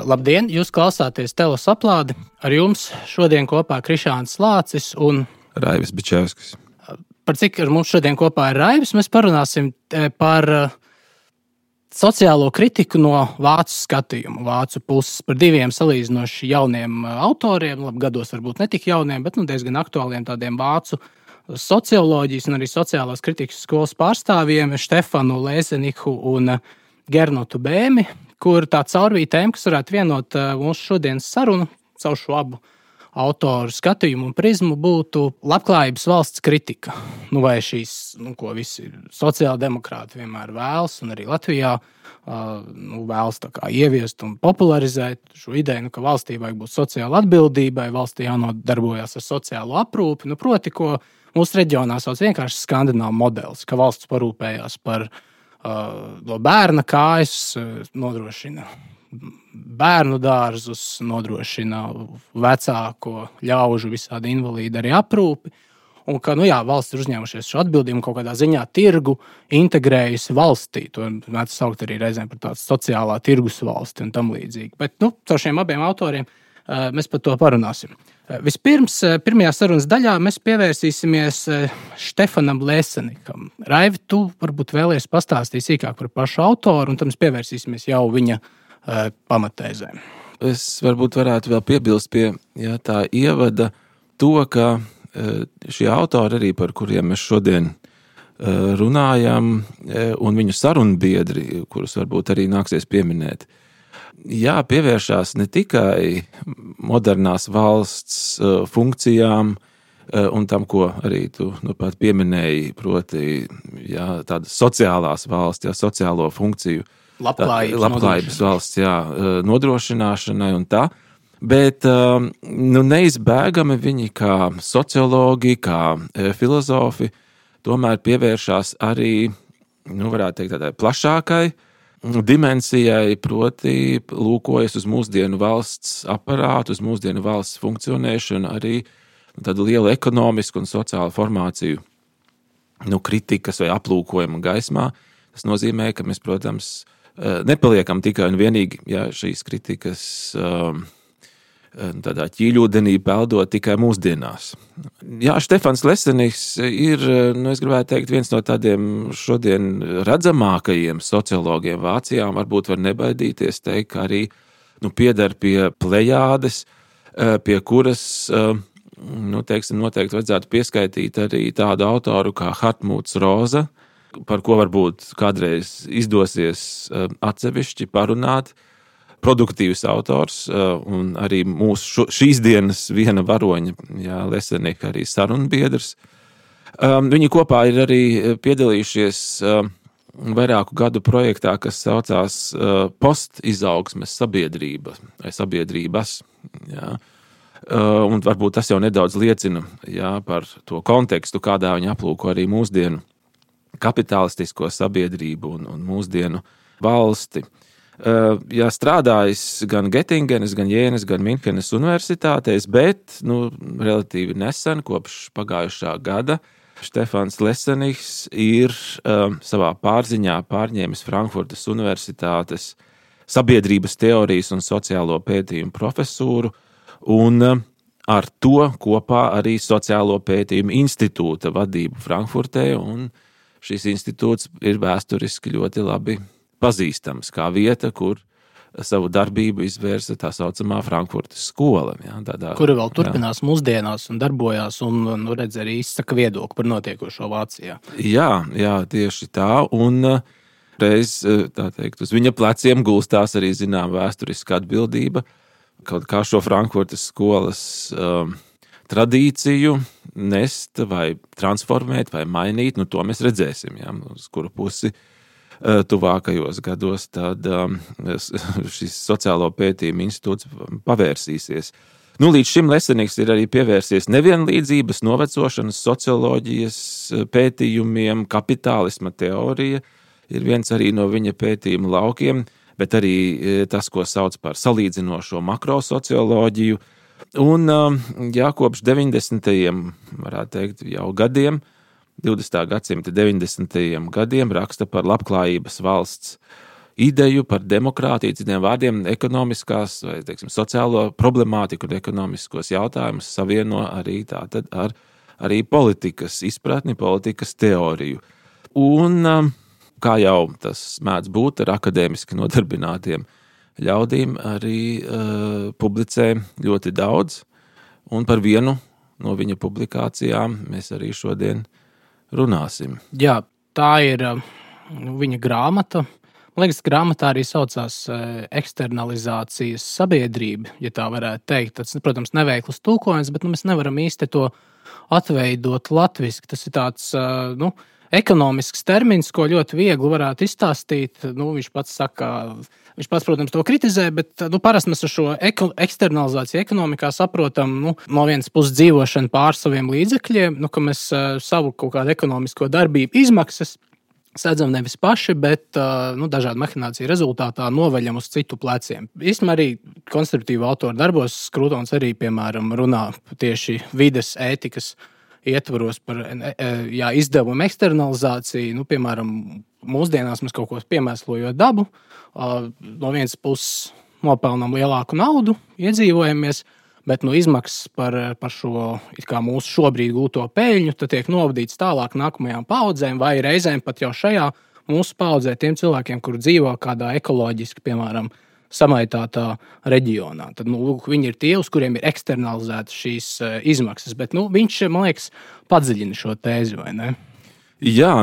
Labdien! Jūs klausāties Telos aplādi. Ar jums šodien kopā Krišāns Lācis un Raivis Bičevskis. Par cik ar mums šodien kopā ir Raivis, mēs parunāsim par sociālo kritiku no vācu skatījuma, vācu puses, par diviem salīdzinoši jauniem autoriem, gados varbūt ne tik jauniem, bet diezgan aktuāliem tādiem vācu socioloģijas un arī sociālās kritikas skolas pārstāvjiem Štefanu Lēzeniku un Gernotu Bēmi, kur tā caurvīja tēma, kas varētu vienot mūsu šodienas sarunu, caur šo abu autoru skatījumu un prizmu, būtu labklājības valsts kritika. Vai šīs, ko visi sociāldemokrāti vienmēr vēlas, un arī Latvijā vēlas tā kā ieviest un popularizēt šo ideju, ka valstī vajag būt sociāla atbildībai, valstī jānodarbojas ar sociālo aprūpi, proti, ko mūsu reģionā sauc vienkārši skandināvu modelis, ka valsts parūpējās par no bērna kājas, nodrošina bērnu dārzus, nodrošina vecāko ļaužu visādi invalīdi arī aprūpi, un ka, valsts ir uzņēmušies šo atbildību un kaut kādā ziņā tirgu integrējusi valstī. To mēdz saukt arī reizēm par tādu sociālā tirgus valsti un tam līdzīgi. Bet, caur šiem abiem autoriem mēs par to parunāsim. Vispirms, pirmajā sarunas daļā mēs pievērsīsimies Štefanam Lēzenikam. Raivi, tu varbūt vēlies pastāstīt sīkāk par pašu autoru, un tad mēs pievērsīsimies jau viņa pamatēzēm. Es varbūt varētu vēl piebilst pie tā ievada to, ka šie autori arī, par kuriem mēs šodien runājam, un viņu sarunbiedri, kurus varbūt arī nāksies pieminēt, pievēršās ne tikai modernās valsts funkcijām un tam, ko arī tu pat pieminēji, proti tādas sociālās valsts, sociālo funkciju, labklājības valsts nodrošināšanai un tā, bet neizbēgami viņi kā sociologi, kā filozofi tomēr pievēršās arī, varētu teikt, tādai plašākai dimensijai, proti lūkojas uz mūsdienu valsts aparātu, uz mūsdienu valsts funkcionēšanu, arī tādu lielu ekonomisku un sociālu formāciju kritikas vai aplūkojuma gaismā. Tas nozīmē, ka mēs, protams, nepaliekam tikai un vienīgi šīs kritikas tādā ķīļūdenī peldot tikai mūsdienās. Štefans Lēzeniks ir, es gribētu teikt, viens no tādiem šodien redzamākajiem sociologiem Vācijā, varbūt var nebaidīties teikt, ka arī pieder pie plejādes, pie kuras, noteikti vajadzētu pieskaitīt arī tādu autoru kā Hartmuts Roza, par ko varbūt kādreiz izdosies atsevišķi parunāt, produktīvs autors un arī mūsu šīs dienas viena varoņa, Lēzenika arī sarunbiedrs. Viņi kopā ir arī piedalījušies vairāku gadu projektā, kas saucās postizaugsmes sabiedrība vai sabiedrības. Un varbūt tas jau nedaudz liecina par to kontekstu, kādā viņi aplūko arī mūsdienu kapitalistisko sabiedrību un mūsdienu valsti. Strādājis gan Getingenes, gan Jēnes, gan Minhenes universitātēs, bet relatīvi nesen, kopš pagājušā gada, Štefans Lēzeniks ir savā pārziņā pārņēmis Frankfurtas universitātes sabiedrības teorijas un sociālo pētījumu profesūru un ar to kopā arī sociālo pētījumu institūta vadību Frankfurtē, un šis institūts ir vēsturiski ļoti labi pazīstams kā vieta, kur savu darbību izvērsa tā saucamā Frankfurtas skola. Kura vēl turpinās mūsdienās un darbojās un redz arī izsaka viedokli par notiekošo Vācijā. Jā, tieši tā, un reiz, tā teikt, uz viņa pleciem gulstās arī zinām vēsturiska atbildība, kaut kā šo Frankfurtas skolas tradīciju nest vai transformēt vai mainīt, to mēs redzēsim, uz kuru pusi tuvākajos gados, tad šis sociālo pētījumu institūts pavērsīsies. Līdz šim Lēzeniks ir arī pievērsies nevienlīdzības, novecošanas, socioloģijas pētījumiem, kapitālisma teorija ir viens arī no viņa pētījuma laukiem, bet arī tas, ko sauc par salīdzinošo makrosocioloģiju. Un kopš 90. varētu teikt jau gadiem, 20. gadsimta 90. gadiem raksta par labklājības valsts ideju, par demokrātiju, citiem vārdiem, ekonomiskās vai, teiksim, sociālo problemātiku un ekonomiskos jautājumus savieno arī tātad ar arī politikas izpratni, politikas teoriju. Un, kā jau tas mēdz būt ar akadēmiski nodarbinātiem ļaudīm, arī publicē ļoti daudz, un par vienu no viņa publikācijām mēs arī šodien runāsim. Jā, tā ir viņa grāmata. Man liekas, grāmatā arī saucās eksternalizācijas sabiedrība, ja tā varētu teikt. Tas, protams, neveikls tulkojums, bet mēs nevaram īsti to atveidot latviski. Tas ir tāds ekonomisks termins, ko ļoti viegli varētu izstāstīt. Viņš pats saka, protams, to kritizē, bet parasti mēs ar šo eksternalizāciju ekonomikā saprotam no vienas puses dzīvošanu pār saviem līdzekļiem, ka mēs savu kaut kādu ekonomisko darbību izmaksas sēdzam nevis paši, bet dažādu mahināciju rezultātā noveļam uz citu pleciem. Īstenībā arī konservatīvu autoru darbos Krūtons arī, piemēram, runā tieši vides ētikas ietvaros par izdevumu eksternalizāciju. Piemēram, mūsdienās mēs kaut ko piemēslojot dabu, no vienas puses nopelnām lielāku naudu, iedzīvojamies, bet izmaksas par šo mūsu šobrīd gūto peļņu tiek novadīts tālāk nākamajām paudzēm, vai reizēm pat jau šajā mūsu paudzē tiem cilvēkiem, kuri dzīvo kādā ekoloģiski, piemēram, samaitātā reģionā. Tad viņi ir tie, uz kuriem ir eksternalizētas šīs izmaksas, bet viņš, man liekas, padziļina šo tēzi, vai ne? Jā,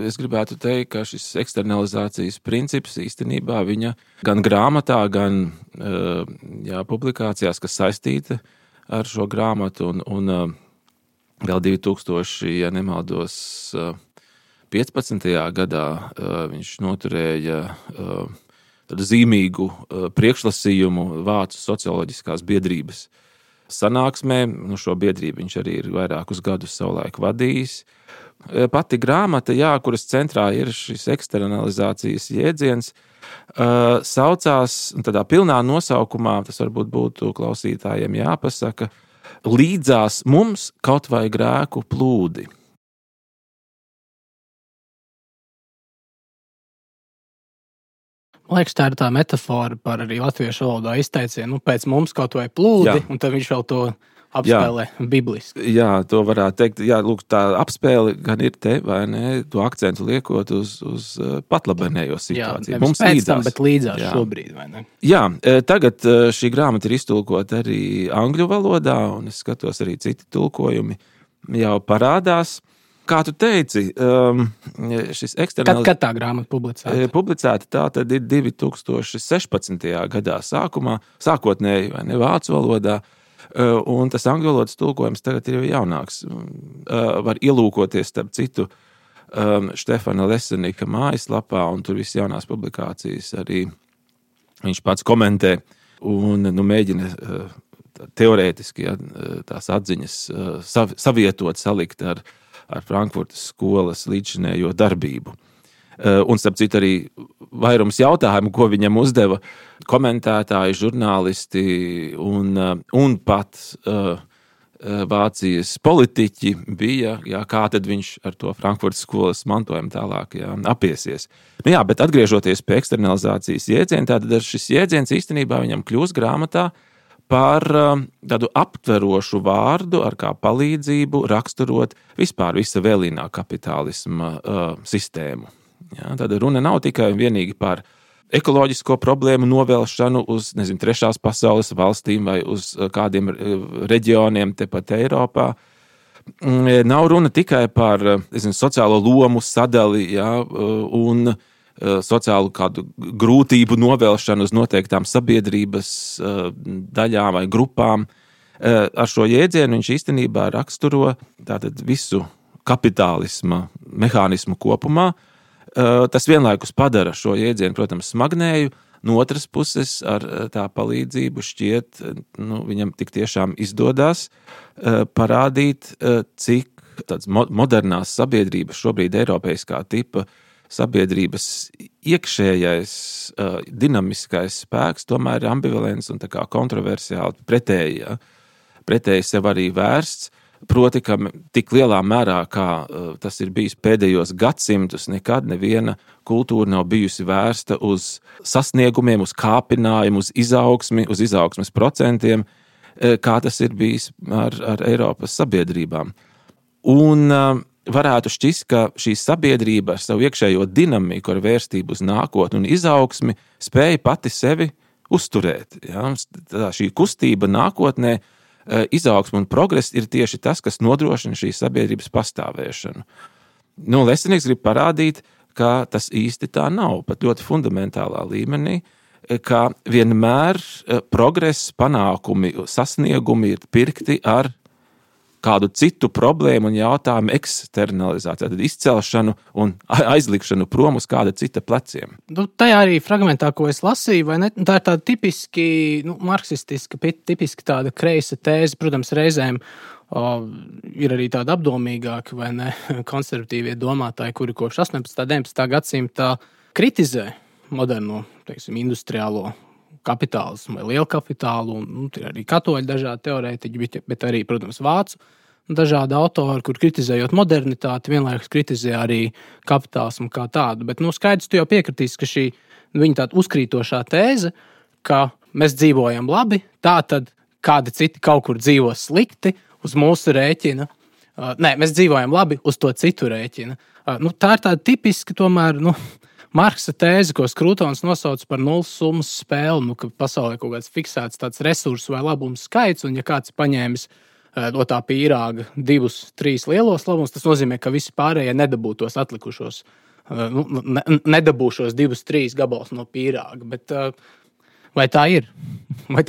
es gribētu teikt, ka šis eksternalizācijas princips īstenībā viņa gan grāmatā, gan publikācijās, kas saistīta ar šo grāmatu, un vēl 2000, ja nemaldos, 15. gadā viņš noturēja tādu zīmīgu priekšlasījumu Vācu socioloģiskās biedrības sanāksmē. Šo biedrību viņš arī ir vairākus gadus savulaik vadījis. Pati grāmata, kuras centrā ir šis eksternalizācijas jēdziens, saucās tādā pilnā nosaukumā, tas varbūt būtu klausītājiem jāpasaka, līdzās mums kaut vai grēku plūdi. Man liekas, tā ir tā metafora par arī latviešu valodā izteicienu, pēc mums kaut vai plūdi, un tad viņš vēl to apspēlē bibliski. Jā, to varētu teikt. Jā, lūk, tā apspēle gan ir te, vai ne, to akcentu liekot uz patlabenējo situāciju. Jā, mums pēc tam, bet līdzās šobrīd, vai ne? Jā, tagad šī grāmata ir iztulkota arī angļu valodā, un es skatos arī citi tulkojumi jau parādās. Kā tu teici, šis eksternalizācijas... Kad tā grāmata publicēta? Publicēta tā tad ir 2016. gadā sākotnēji, vai ne, vācu valodā, un tas angļu valodas tulkojums tagad ir jau jaunāks. Var ielūkoties, starp citu, Štefana Lesenika mājaslapā, un tur viss jaunās publikācijas arī viņš pats komentē un mēģina teorētiski tās atziņas savietot, salikt ar Frankfurtas skolas līdzinējo darbību. Un, starp citu, arī vairums jautājumu, ko viņam uzdeva komentētāji, žurnālisti un pat Vācijas politiķi bija, kā tad viņš ar to Frankfurtas skolas mantojumu tālāk apiesies. Bet atgriežoties pie eksternalizācijas jēdziena, tad šis jēdziens īstenībā viņam kļūst grāmatā par tādu aptverošu vārdu, ar kā palīdzību raksturot vispār visa vēlīnā kapitālisma sistēmu. Tad runa nav tikai un vienīgi par ekoloģisko problēmu novelšanu uz, trešās pasaules valstīm vai uz kādiem reģioniem tepat Eiropā. Nav runa tikai par sociālo lomu sadali, un sociālu kādu grūtību novelšanu uz noteiktām sabiedrības daļām vai grupām. Ar šo jēdzienu viņš īstenībā raksturo tātad visu kapitālisma mehānismu kopumā. Tas vienlaikus padara šo jēdzienu, protams, smagnēju. No otras puses, ar tā palīdzību šķiet, viņam tik tiešām izdodas parādīt, cik tāds modernās sabiedrības, šobrīd eiropeiskā tipa sabiedrības iekšējais dinamiskais spēks tomēr ir ambivalents un tā kā kontroversiāli pretēji sev arī vērsts. Proti, ka tik lielā mērā, kā tas ir bijis pēdējos gadsimtus, nekad neviena kultūra nav bijusi vērsta uz sasniegumiem, uz kāpinājumu, uz izaugsmes procentiem, kā tas ir bijis ar Eiropas sabiedrībām. Un varētu šķist, ka šī sabiedrība ar savu iekšējo dinamiku, ar vērstību uz nākotni un izaugsmi spēja pati sevi uzturēt. Ja? Šī kustība nākotnē, izaugsme un progress ir tieši tas, kas nodrošina šīs sabiedrības pastāvēšanu. Lesenieks grib parādīt, ka tas īsti tā nav, pat ļoti fundamentālā līmenī, ka vienmēr progress, panākumi, sasniegumi ir pirkti ar kādu citu problēmu un jautājumu eksternalizāciju, tad izcelšanu un aizlikšanu prom uz kāda cita pleciem. Tajā arī fragmentā, ko es lasīju, vai ne? Tā ir tāda tipiski marksistiska, tipiski tāda kreisa tēze, protams, reizēm ir arī tāda apdomīgāka, vai ne, konservatīvie domātāji, kuri kopš 18. 19. gadsimta kritizē moderno, industriālo kapitālismu vai lielu kapitālu, un ir arī katoļi dažādi teorētiķi, bet arī, protams, vācu dažādi autori, kur kritizējot modernitāti, vienlaikus kritizē arī kapitālismu kā tādu. Bet, skaidrs, tu jau piekritīsi, ka šī viņa tāda uzkrītošā tēze, ka mēs dzīvojam labi, tā tad kādi citi kaut kur dzīvo slikti uz mūsu rēķina. Nē, mēs dzīvojam labi uz to citu rēķina. Tā ir tāda tipiska, tomēr, Marksa tēze, ko Skrūtons nosauc par nulles summas spēli, ka pasaulē kaut kāds fiksēts tāds resursu vai labums skaits, un ja kāds paņēmis no tā pīrāga 2-3 lielos labumus, tas nozīmē, ka visi pārējie nedabūtos atlikušos, nedabūšos 2-3 gabals no pīrāga. Bet vai tā ir? Vai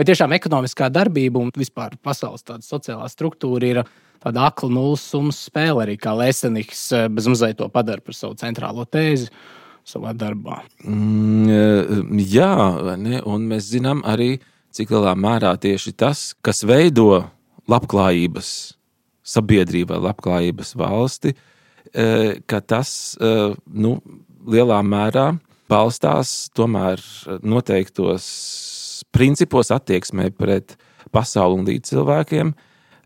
tiešām ekonomiskā darbība un vispār pasaules tāda sociālā struktūra ir tāda akla nulles summas spēle, arī kā Leseniks bez mazliet to padara par savu centrālo tēzi savā darbā. Jā, ne? Un mēs zinām arī, cik lielā mērā tieši tas, kas veido labklājības sabiedrību vai labklājības valsti, ka tas lielā mērā balstās tomēr noteiktos principos attieksmē pret pasauli un līdz cilvēkiem,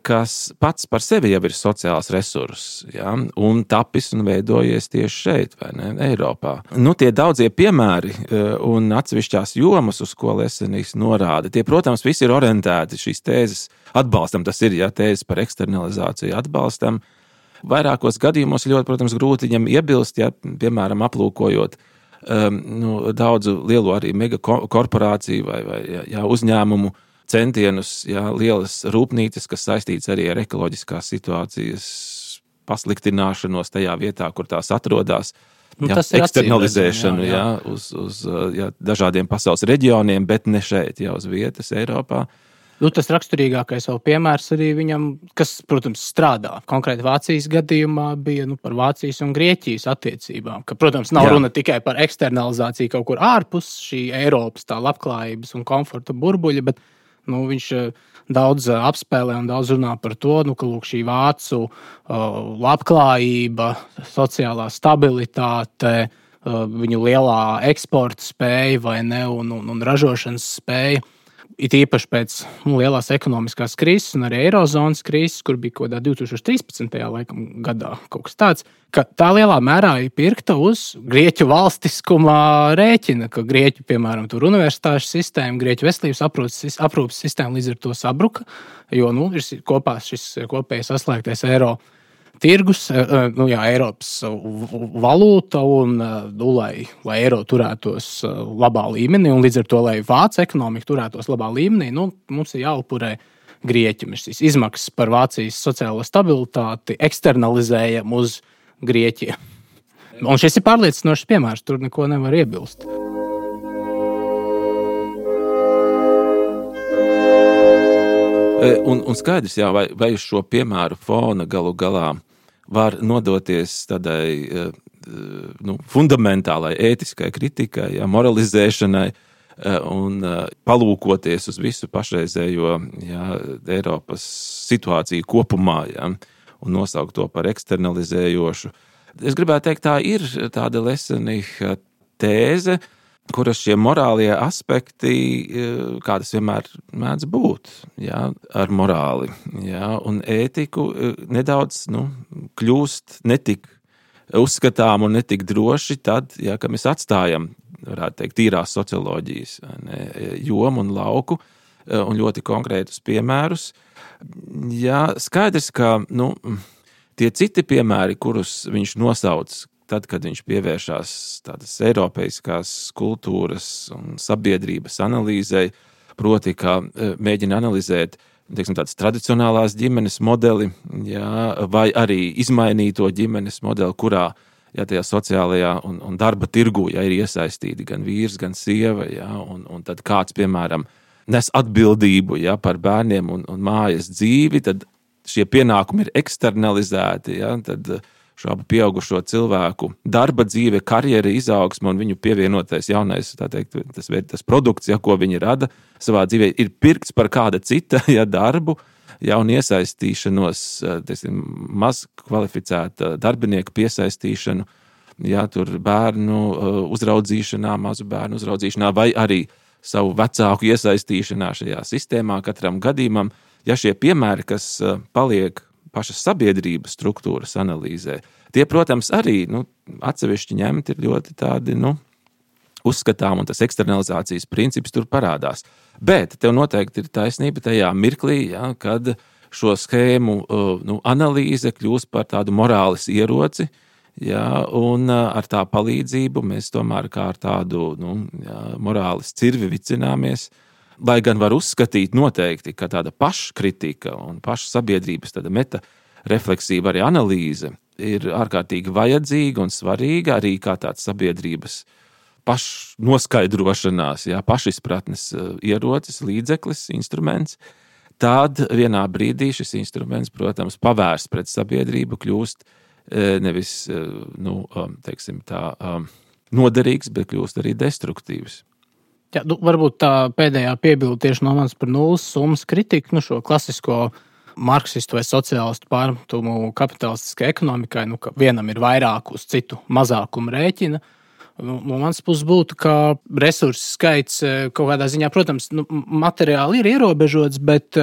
kas pats par sevi jau ir sociāls resurss, ja? Un tapis un veidojies tieši šeit, vai ne, Eiropā. Tie daudzie piemēri un atsevišķās jomas, uz ko Leseniks norāda, tie, protams, visi ir orientēti šīs tēzes atbalstam. Tas ir, ja tēzes par eksternalizāciju atbalstam. Vairākos gadījumos ļoti, protams, grūti viņam iebilst, ja, piemēram, aplūkojot daudzu lielu arī megakorporāciju vai uzņēmumu centienus, lielas rūpnīcas, kas saistīts arī ar ekoloģiskās situācijas pasliktināšanos tajā vietā, kur tās atrodas. Eksternalizēšanu uz dažādiem pasaules reģioniem, bet ne šeit, uz vietas Eiropā. Tas raksturīgākais vēl piemērs arī viņam, kas, protams, strādā. Konkrēti Vācijas gadījumā bija par Vācijas un Grieķijas attiecībām. Ka, protams, nav runa tikai par eksternalizāciju kaut kur ārpus šī Eiropas tā labklājības un komforta burbuļa, bet viņš daudz apspēlē un daudz runā par to, ka šī vācu labklājība, sociālā stabilitāte, viņu lielā eksporta spēja vai ne, un ražošanas spēja. It īpaši pēc lielās ekonomiskās krīzes un arī Eirozonas krīzes, kur bija kaut kādā 2013. gadā kaut kas tāds, ka tā lielā mērā ir pirkta uz Grieķu valstiskuma rēķina, ka Grieķu, piemēram, tur universitāšu sistēma, Grieķu veselības aprūpes sistēma līdz ar to sabruka, jo ir kopā šis kopējais saslēgtais eiro tirgus, Eiropas valūta un lai eiro turētos labā līmenī un līdz ar to, lai vācu ekonomika turētos labā līmenī, mums ir jāupurē Grieķim. Šīs izmaksas par Vācijas sociālo stabilitāti eksternalizējam uz Grieķiju. Un šis ir pārliecinošs piemērs, tur neko nevar iebilst. Un skaidrs, vai uz šo piemēru fona galu galā var nodoties tādai fundamentālai ētiskai kritikai, moralizēšanai un palūkoties uz visu pašreizējo Eiropas situāciju kopumā un nosaukt to par eksternalizējošu. Es gribētu teikt, tā ir tāda Leseniga tēze, kuras šie morālie aspekti, kā tas vienmēr mēdz būt, jā, ar morāli, jā, un ētiku nedaudz kļūst netik uzskatām un netik droši tad, ja, ka mēs atstājam, varētu teikt, tīrās socioloģijas jomu un lauku un ļoti konkrētus piemērus. Jā, skaidrs, ka tie citi piemēri, kurus viņš nosauc, tad, kad viņš pievēršās tādas eiropeiskās kultūras un sabiedrības analīzei, proti, kā mēģina analizēt tādas tradicionālās ģimenes modeli, jā, vai arī izmainīto ģimenes modeli, kurā tajā sociālajā un darba tirgu ir iesaistīti gan vīrs, gan sieva, jā, un tad kāds, piemēram, nes atbildību par bērniem un mājas dzīvi, tad šie pienākumi ir eksternalizēti, jā, tad šo abu pieaugušo cilvēku darba dzīve, karjera izaugsme un viņu pievienotais jaunais, tā teikt, tas produkts, ko viņi rada savā dzīvē, ir pirkts par kāda cita darbu, un iesaistīšanos, maz kvalificēta darbinieku piesaistīšanu, tur bērnu uzraudzīšanā, mazu bērnu uzraudzīšanā, vai arī savu vecāku iesaistīšanā šajā sistēmā katram gadījumam. Ja šie piemēri, kas paliek pašas sabiedrības struktūras analīzē, tie, protams, arī atsevišķi ņemti ir ļoti tādi, uzskatām, un tas eksternalizācijas princips tur parādās. Bet tev noteikti ir taisnība tajā mirklī, kad šo schēmu analīze kļūst par tādu morāles ieroci, un ar tā palīdzību mēs tomēr kā ar tādu morāles cirvi vicināmies, lai gan var uzskatīt noteikti, ka tāda paškritika un paša sabiedrības tāda metarefleksīva arī analīze ir ārkārtīgi vajadzīga un svarīga arī kā tāds sabiedrības pašnoskaidrošanās, pašizpratnes ierocis, līdzeklis, instruments. Tad vienā brīdī šis instruments, protams, pavērsts pret sabiedrību, kļūst nevis, teiksim tā, noderīgs, bet kļūst arī destruktīvs. Jā, varbūt tā pēdējā piebilde tieši no manis par nulles summas kritiku, šo klasisko marksistu vai sociālistu pārmetumu kapitalistiskai ekonomikai, ka vienam ir vairāk uz citu mazākumu rēķina. No manas puses būtu, ka resursu skaits kaut kādā ziņā, protams, materiāli ir ierobežots, bet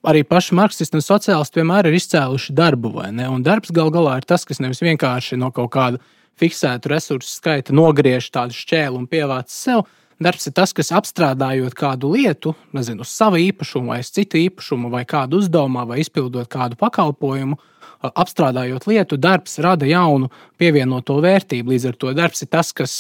arī paši marksisti un sociālisti vienmēr ir izcēluši darbu, vai ne? Un darbs gal galā ir tas, kas nevis vienkārši no kaut kāda fiksētu resursu skaita nogriež tādu šķēlu un pievāc sev. Darbs ir tas, kas apstrādājot kādu lietu, nezinu, uz savu īpašumu vai uz citu īpašumu vai kādu uzdevumā vai izpildot kādu pakalpojumu, apstrādājot lietu, darbs rada jaunu pievienoto vērtību. Līdz ar to darbs ir tas, kas,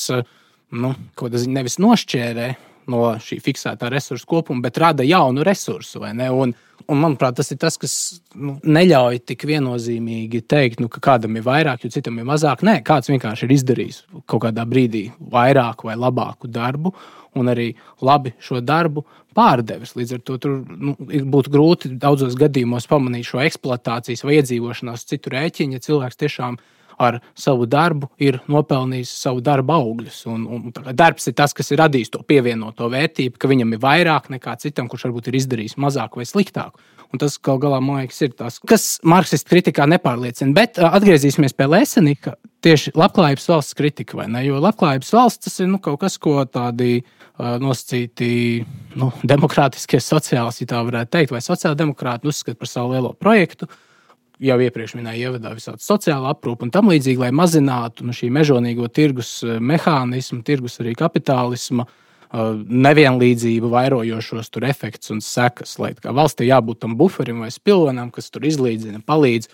nevis nošķērē no šī fiksētā resursu kopuma, bet rada jaunu resursu, vai ne? Un manuprāt, tas ir tas, kas neļauj tik viennozīmīgi teikt, ka kādam ir vairāk, jo citam ir mazāk. Nē, kāds vienkārši ir izdarījis kaut kādā brīdī vairāku vai labāku darbu un arī labi šo darbu pārdevis. Līdz ar to tur būtu grūti daudzos gadījumos pamanīt šo eksploatācijas vai iedzīvošanās citu rēķinu, ja cilvēks tiešām ar savu darbu ir nopelnījis savu darba augļus. Un darbs ir tas, kas ir radījis to pievienoto vērtību, ka viņam ir vairāk nekā citam, kurš varbūt ir izdarījis mazāk vai sliktāk. Un tas, gal galā, man liekas, ir tas, kas marksistu kritikā nepārliecina. Bet atgriezīsimies pie Lesenika, tieši labklājības valsts kritika, vai ne? Jo labklājības valsts tas ir kaut kas, ko tādi nosacīti demokrātiskie sociālisti, ja tā varētu teikt, vai sociāldemokrāti uzskata par savu lielo projektu. Jau iepriekš minēja ievadā visādi sociāla aprūpa un tam līdzīgi, lai mazinātu šī mežonīgo tirgus mehānismu, tirgus arī kapitālisma nevienlīdzību vairojošos tur efekts un sekas, lai kā valstī jābūt tam buferim vai spilvenam, kas tur izlīdzina, palīdz,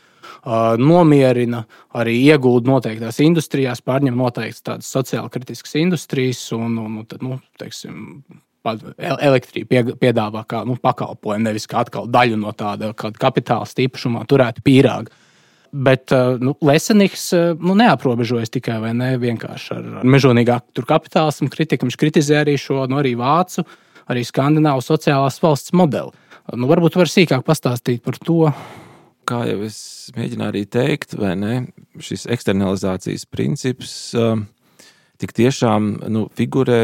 nomierina, arī iegulda noteiktās industrijās, pārņem noteiktas tādas sociāli kritiskas industrijas un tad, teiksim, elektrību piedāvā kā pakalpojumu, nevis kā atkal daļu no tāda kapitālista īpašumā turētu pīrāgu. Bet Leseniks neaprobežojas tikai vai ne vienkārši ar mežonīgāku kapitālismu kritiku. Viņš kritizē arī šo arī vācu, arī skandināvu sociālās valsts modeli. Varbūt var sīkāk pastāstīt par to. Kā jau es mēģināju arī teikt, vai ne, šis eksternalizācijas princips tik tiešām figurē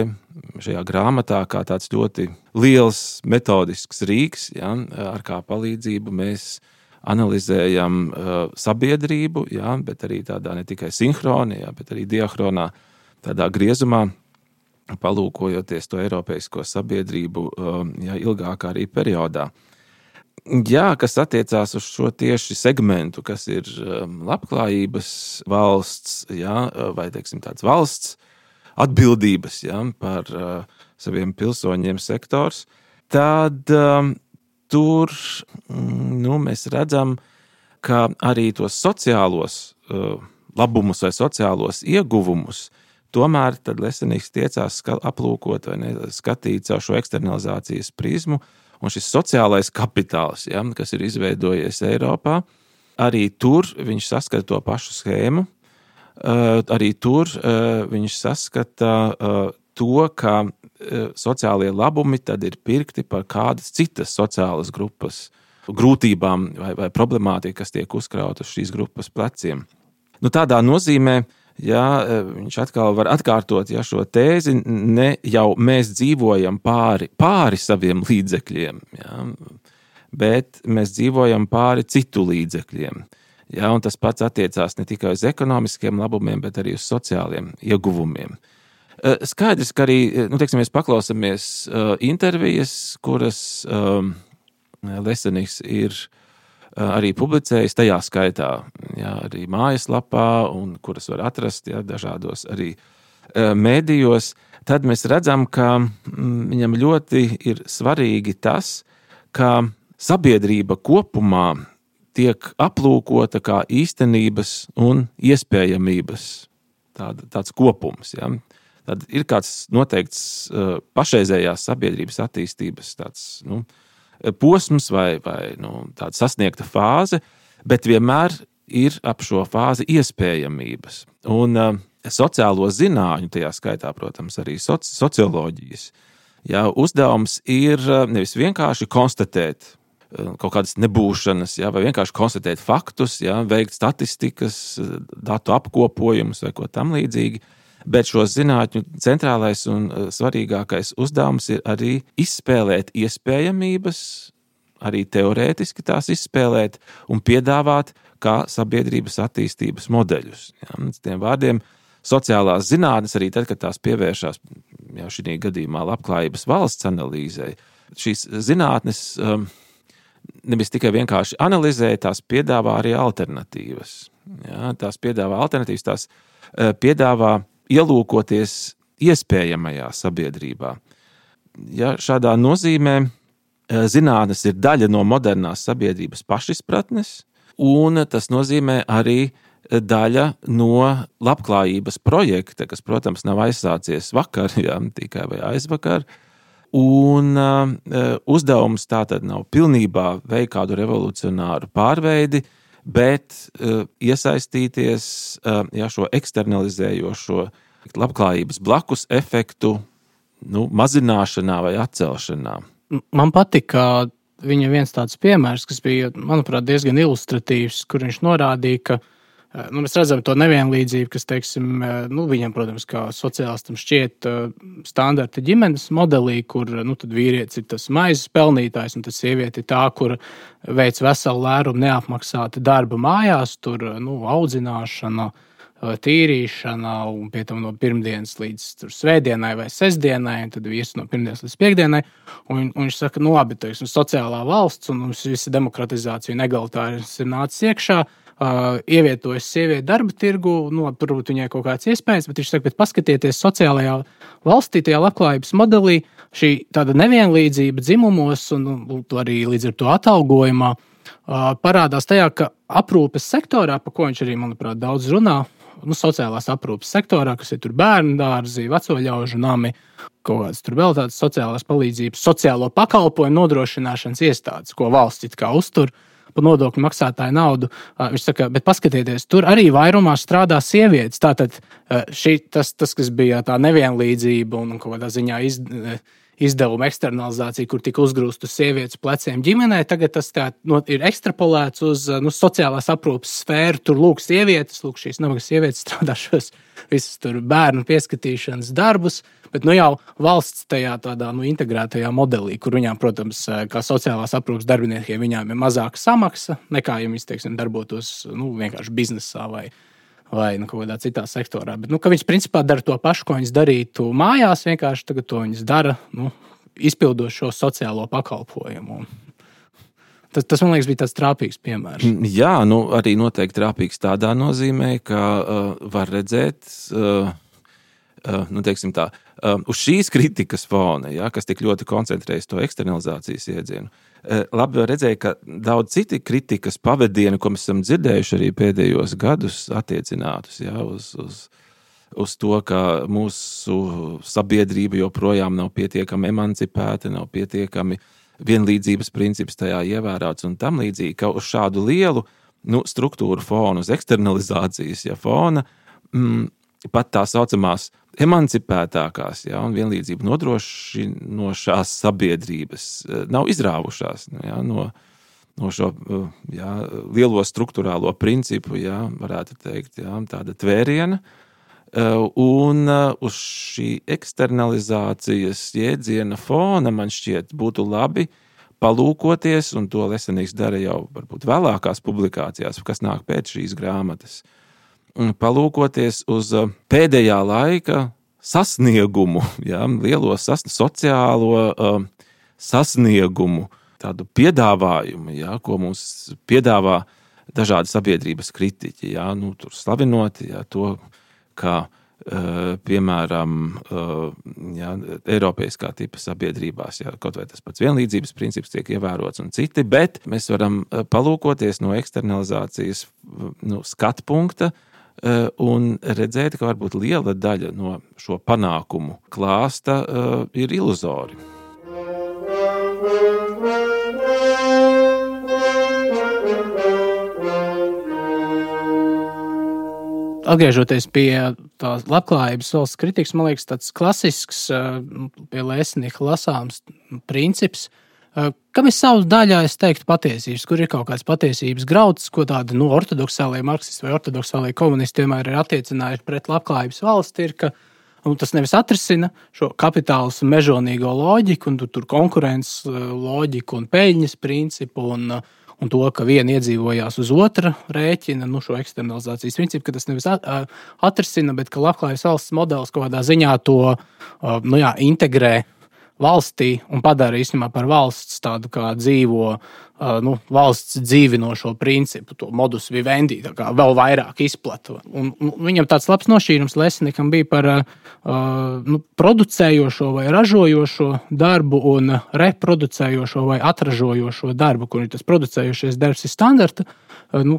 šajā grāmatā kā tāds ļoti liels metodisks rīks, ar kā palīdzību mēs analizējam sabiedrību, bet arī tādā ne tikai sinhroni, bet arī diahronā tādā griezumā, palūkojoties to eiropeisko sabiedrību ilgākā arī periodā. Jā, kas attiecās uz šo tieši segmentu, kas ir labklājības valsts, vai teiksim tāds valsts atbildības par saviem pilsoņiem sektors, tad tur mēs redzam, ka arī tos sociālos labumus vai sociālos ieguvumus tomēr tad Lesenīgs tiecās aplūkot vai skatīt caur šo eksternalizācijas prizmu, un šis sociālais kapitāls, kas ir izveidojies Eiropā, arī tur viņš saskata to pašu schēmu, arī tur viņš saskata to, ka sociālie labumi tad ir pirkti par kādas citas sociālas grupas grūtībām vai problemātiku, kas tiek uzkrauta uz šīs grupas pleciem. Tādā nozīmē, viņš atkal var atkārtot šo tēzi, ne jau mēs dzīvojam pāri saviem līdzekļiem, bet mēs dzīvojam pāri citu līdzekļiem. Un tas pats attiecās ne tikai uz ekonomiskiem labumiem, bet arī uz sociāliem ieguvumiem. Skaidrs, ka arī, mēs paklausāmies intervijas, kuras Lesenīgs ir arī publicējis tajā skaitā, arī mājaslapā, un kuras var atrast dažādos arī mēdījos, tad mēs redzam, ka viņam ļoti ir svarīgi tas, ka sabiedrība kopumā tiek aplūkota kā īstenības un iespējamības tāds kopums. Tad ir kāds noteikts pašreizējās sabiedrības attīstības tāds, posms vai tāda sasniegta fāze, bet vienmēr ir ap šo fāzi iespējamības. Un sociālo zinātņu, tajā skaitā, protams, arī socioloģijas, uzdevums ir nevis vienkārši konstatēt kaut kādas nebūšanas, vai vienkārši konstatēt faktus, veikt statistikas, datu apkopojumus vai ko tam līdzīgi, bet šo zinātņu centrālais un svarīgākais uzdevums ir arī izspēlēt iespējamības, arī teorētiski tās izspēlēt un piedāvāt kā sabiedrības attīstības modeļus. Tiem vārdiem sociālās zinātnes, arī tad, kad tās pievēršās šī gadījumā labklājības valsts analīzei, šīs zinātnes nevis tikai vienkārši analizē, tās piedāvā arī alternatīvas. Tās piedāvā alternatīvas, tās piedāvā ielūkoties iespējamajā sabiedrībā. Šādā nozīmē zinātnes ir daļa no modernās sabiedrības pašizpratnes, un tas nozīmē arī daļa no labklājības projekta, kas, protams, nav aizsācies vakar, tikai vai aizvakar, un uzdevums tātad nav pilnībā veikt kādu revolucionāru pārveidi, bet iesaistīties šo eksternalizējošo labklājības blakus efektu mazināšanā vai atcelšanā. Man patika viņa viens tāds piemērs, kas bija, manuprāt, diezgan ilustratīvs, kur viņš norādīja, ka mēs redzam to nevienlīdzību, kas, teiksim, viņam, protams, kā sociālistam šķiet standarta ģimenes modelī, kur tad vīrietis ir tas maizes pelnītājs, un tas sieviete ir tā, kur veic veselu lērumu neapmaksāta darba mājās, tur audzināšana, tīrīšana, un pie tam no pirmdienas līdz svētdienai vai sestdienai, un tad vīrs no pirmdienas līdz piekdienai, un viņš saka, labi, teiksim, sociālā valsts, un mums visa demokratizācija un egalitārisms ir nācis iekšā, ievietojas sievieti darba tirgu, varbūt viņai kaut kāds iespējas, bet viņš saka, bet paskatieties sociālajā valstī, tajā labklājības modelī, šī tāda nevienlīdzība dzimumos un arī līdz ar to atalgojumā parādās tajā, ka aprūpes sektorā, pa ko viņš arī, manuprāt, daudz runā, sociālās aprūpes sektorā, kas ir tur bērnu dārzi, veco ļaužu nami, kaut kāds tur vēl tādas sociālās palīdzības, sociālo pakalpojumu nodrošināšanas iestādes, ko valsts it kā uztur par nodokļu maksātāju naudu. Viņš saka, bet paskatieties, tur arī vairumā strādā sievietes. Tātad tas, kas bija tā nevienlīdzība un kaut kādā ziņā izdevuma eksternalizācija, kur tika uzgrūst uz sievietes pleciem ģimenē, tagad tas ir ekstrapolēts uz sociālās aprūpes sfēru. Tur lūk sievietes, šīs nabagas sievietes strādā šos visus tur bērnu pieskatīšanas darbus, bet jau valsts tajā tādā integrētajā modelī, kur viņām, protams, kā sociālās aprūpes darbiniekiem, viņām ir mazāka samaksa nekā, ja viņi, teiksim, darbotos vienkārši biznesā vai vai kaut kādā citā sektorā. Bet, ka viņas principā dara to pašu, ko viņas darītu mājās, vienkārši tagad to viņas dara, izpildot šo sociālo pakalpojumu. Tas, man liekas, bija tāds trāpīgs piemērs. Jā, arī noteikti trāpīgs tādā nozīmē, ka var redzēt, teiksim tā, uz šīs kritikas fona, kas tik ļoti koncentrējas to eksternalizācijas iedzienu. Labi redzēja, ka daudz citi kritikas pavadieni, ko mēs esam dzirdējuši arī pēdējos gadus attiecinātus, uz to, ka mūsu sabiedrība joprojām nav pietiekami emancipēta, nav pietiekami vienlīdzības princips tajā ievērāts un tam līdzīgi, ka uz šādu lielu struktūru fonu, uz eksternalizācijas fona, pat tā saucamās emancipētākās un vienlīdzību nodrošinošās sabiedrības nav izrāvušās no šo lielo struktūrālo principu, varētu teikt, tāda tvēriena. Un uz šī eksternalizācijas jēdziena fona man šķiet būtu labi palūkoties, un to Lesenīgs dara jau varbūt vēlākās publikācijās, kas nāk pēc šīs grāmatas. Palūkoties uz pēdējā laika sasniegumu, lielo sociālo sasniegumu, tādu piedāvājumu, ko mums piedāvā dažādi sabiedrības kritiķi, tur slavinot to, kā piemēram Eiropeiskā tipa sabiedrībās, kaut vai tas pats vienlīdzības princips tiek ievērots un citi, bet mēs varam palūkoties no eksternalizācijas skatu punkta un redzēt, ka varbūt liela daļa no šo panākumu klāsta ir iluzori. Atgriežoties pie tās labklājības valsts kritikas, man liekas, tāds klasisks pie Lesenīga lasāms princips, kam ir savs daļā, es teiktu, patiesības, kur ir kaut kāds patiesības grauds, ko tādi ortodoksālie marksisti vai ortodoksālie komunisti vienmēr ir attiecinājuši pret labklājības valsti, ir, ka tas nevis atrisina šo kapitālismu mežonīgo loģiku, un tur konkurences loģiku un peļņas principu, un to, ka viena iedzīvojās uz otra rēķina, šo eksternalizācijas principu, ka tas nevis atrisina, bet ka labklājības valsts modelis kaut kādā ziņā to integrē valstī un padara īstenībā par valsts tādu kā dzīvo, valsts dzīvinošo principu, to modus vivendi, tā kā vēl vairāk izplata. Un viņam tāds labs nošķīrums Lesenīgam bija par producējošo vai ražojošo darbu un reproducējošo vai atražojošo darbu, kur tas producējošais darbs ir standarta,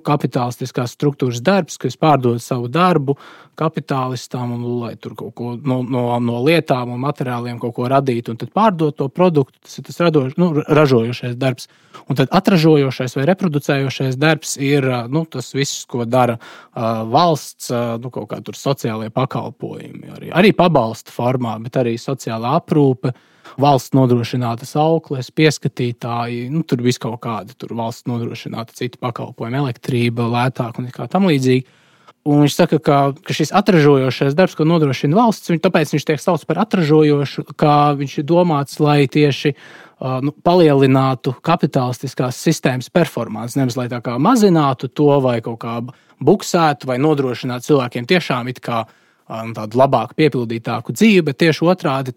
kapitalistiskās struktūras darbs, kas pārdod savu darbu kapitālistam un lai tur kaut ko no lietām un materiāliem kaut ko radītu un tad pārdot to produktu, tas ir tas ražojošais darbs. Un tad atražojošais vai reproducējošais darbs ir tas viss, ko dara valsts, kaut kā tur sociālajie pakalpojumi, arī pabalsta formā, bet arī sociālā aprūpe, valsts nodrošinātas aukles, pieskatītāji, tur viss kaut kādi, tur valsts nodrošināta citi pakalpojumi, elektrība, lētāk un kā tam līdzīgi. Un viņš saka, ka šis atražojošais darbs, ko nodrošina valsts, tāpēc viņš tiek saukts par atražojošu, kā viņš ir domāts, lai tieši palielinātu kapitalistiskās sistēmas performanci, nevis lai tā kā mazinātu to vai kaut kā buksētu vai nodrošinātu cilvēkiem tiešām it kā tādu labāku, piepildītāku dzīvi, bet tieši otrādi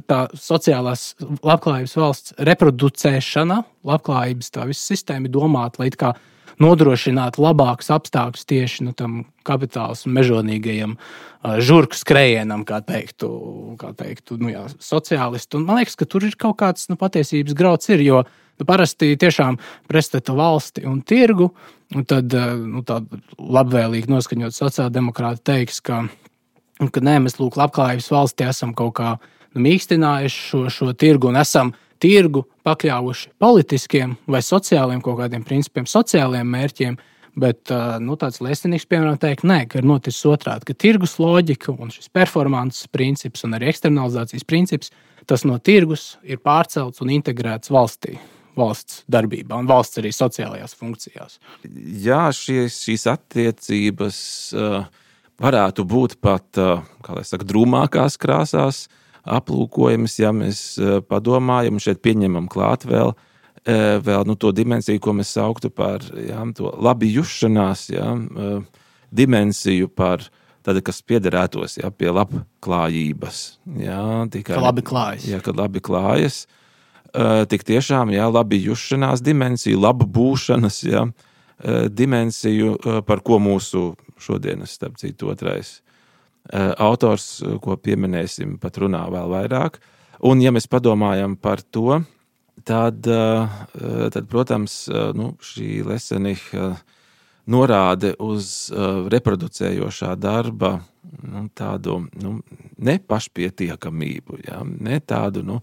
tā sociālās labklājības valsts reproducēšana, labklājības tā visa sistēma ir domāta, lai it kā nodrošināt labākus apstākļus tieši tam kapitālismu mežonīgajam žurku skrējienam, kā teiktu sociālisti. Un man liekas, ka tur ir kaut kāds patiesības grauds ir, jo parasti tiešām pretstata valsti un tirgu, un tad tāda labvēlīgi noskaņot sociāldemokrāti teiks, ka nē, mēs labklājības valstī esam kaut kā mīkstinājuši šo tirgu un esam tirgu pakļāvuši politiskiem vai sociāliem kaut kādiem principiem, sociāliem mērķiem, bet tāds Lesenīgs, piemēram, teikt, nē, ka ir noticis otrādi, ka tirgus loģika un šis performances princips un arī eksternalizācijas princips, tas no tirgus ir pārcelts un integrēts valstī, valsts darbībā un valsts arī sociālajās funkcijās. Jā, šīs attiecības varētu būt pat, kā lai saka, drūmākās krāsās aplūkojamas, ja mēs padomājam, šeit pieņemam klāt vēl to dimensiju, ko mēs sauktu par to labi jušanās, dimensiju par tādu, kas piederētos pie labklājības. Ka labi klājas. Kad labi klājas. Tik tiešām, labi jušanās dimensiju, labu būšanas, dimensiju, par ko mūsu šodienas, starp citu, otrais autors, ko pieminēsim, pat runā vēl vairāk. Un, ja mēs padomājam par to, tad protams, šī Leseniha norāde uz reproducējošā darba tādu nepašpietiekamību, ne tādu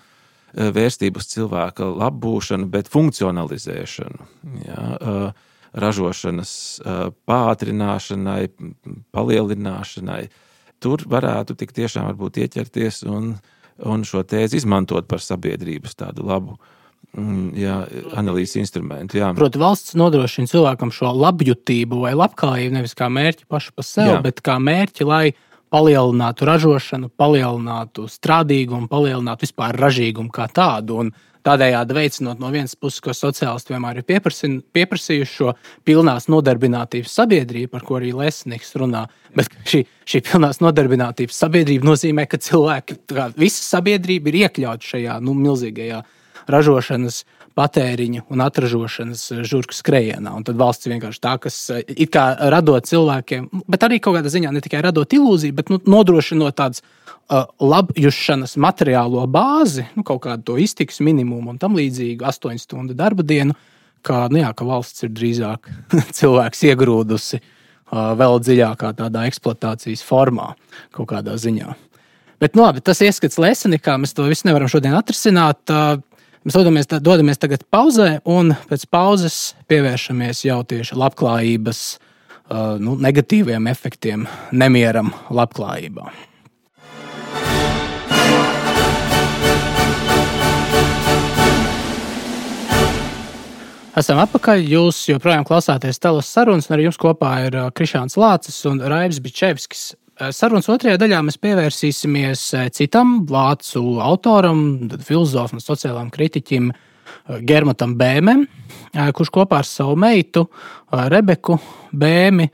vērstību uz cilvēka labbūšanu, bet funkcionalizēšanu, ražošanas pātrināšanai, palielināšanai. Tur varētu tik tiešām varbūt ieķerties un šo tēzi izmantot par sabiedrības tādu labu analīzes instrumentu. Proti, valsts nodrošina cilvēkam šo labjutību vai labklājību nevis kā mērķi pašu par sevi, bet kā mērķi, lai palielinātu ražošanu, palielinātu strādīgumu, palielinātu vispār ražīgumu kā tādu. Un tādējādi veicinot no vienas puses, ko sociālisti vienmēr ir pieprasījuši šo pilnās nodarbinātības sabiedrību, par ko arī Lesenihs runā. Bet šī pilnās nodarbinātības sabiedrība nozīmē, ka cilvēki, visa sabiedrība ir iekļauta šajā milzīgajā ražošanas, patēriņa un atražošanas žurku skrejienā. Un tad valsts vienkārši tā, kas it kā radot cilvēkiem, bet arī kaut kādā ziņā ne tikai radot ilūziju, bet nodrošinot tādas labjušanas materiālo bāzi, kaut kādu to iztikas minimumu un tam līdzīgu 8 stundu darba dienu, ka valsts ir drīzāk cilvēks iegrūdusi vēl dziļākā tādā eksploatācijas formā kaut kādā ziņā. Bet labi, tas ieskats Lesenikā, mēs to visu nevaram šodien atrisināt. Mēs dodamies tagad pauzē, un pēc pauzes pievēršamies jau tieši labklājības negatīviem efektiem, nemieram labklājībā. Esam atpakaļ. Jūs joprojām klausāties Telos sarunas, un ar jums kopā ir Krišāns Lācis un Raivis Bičevskis. Sarunas otrajā daļā mēs pievērsīsimies citam vācu autoram, filozofam un sociālām kritiķim Germatam Bēmem, kurš kopā ar savu meitu Rebeku Bēmi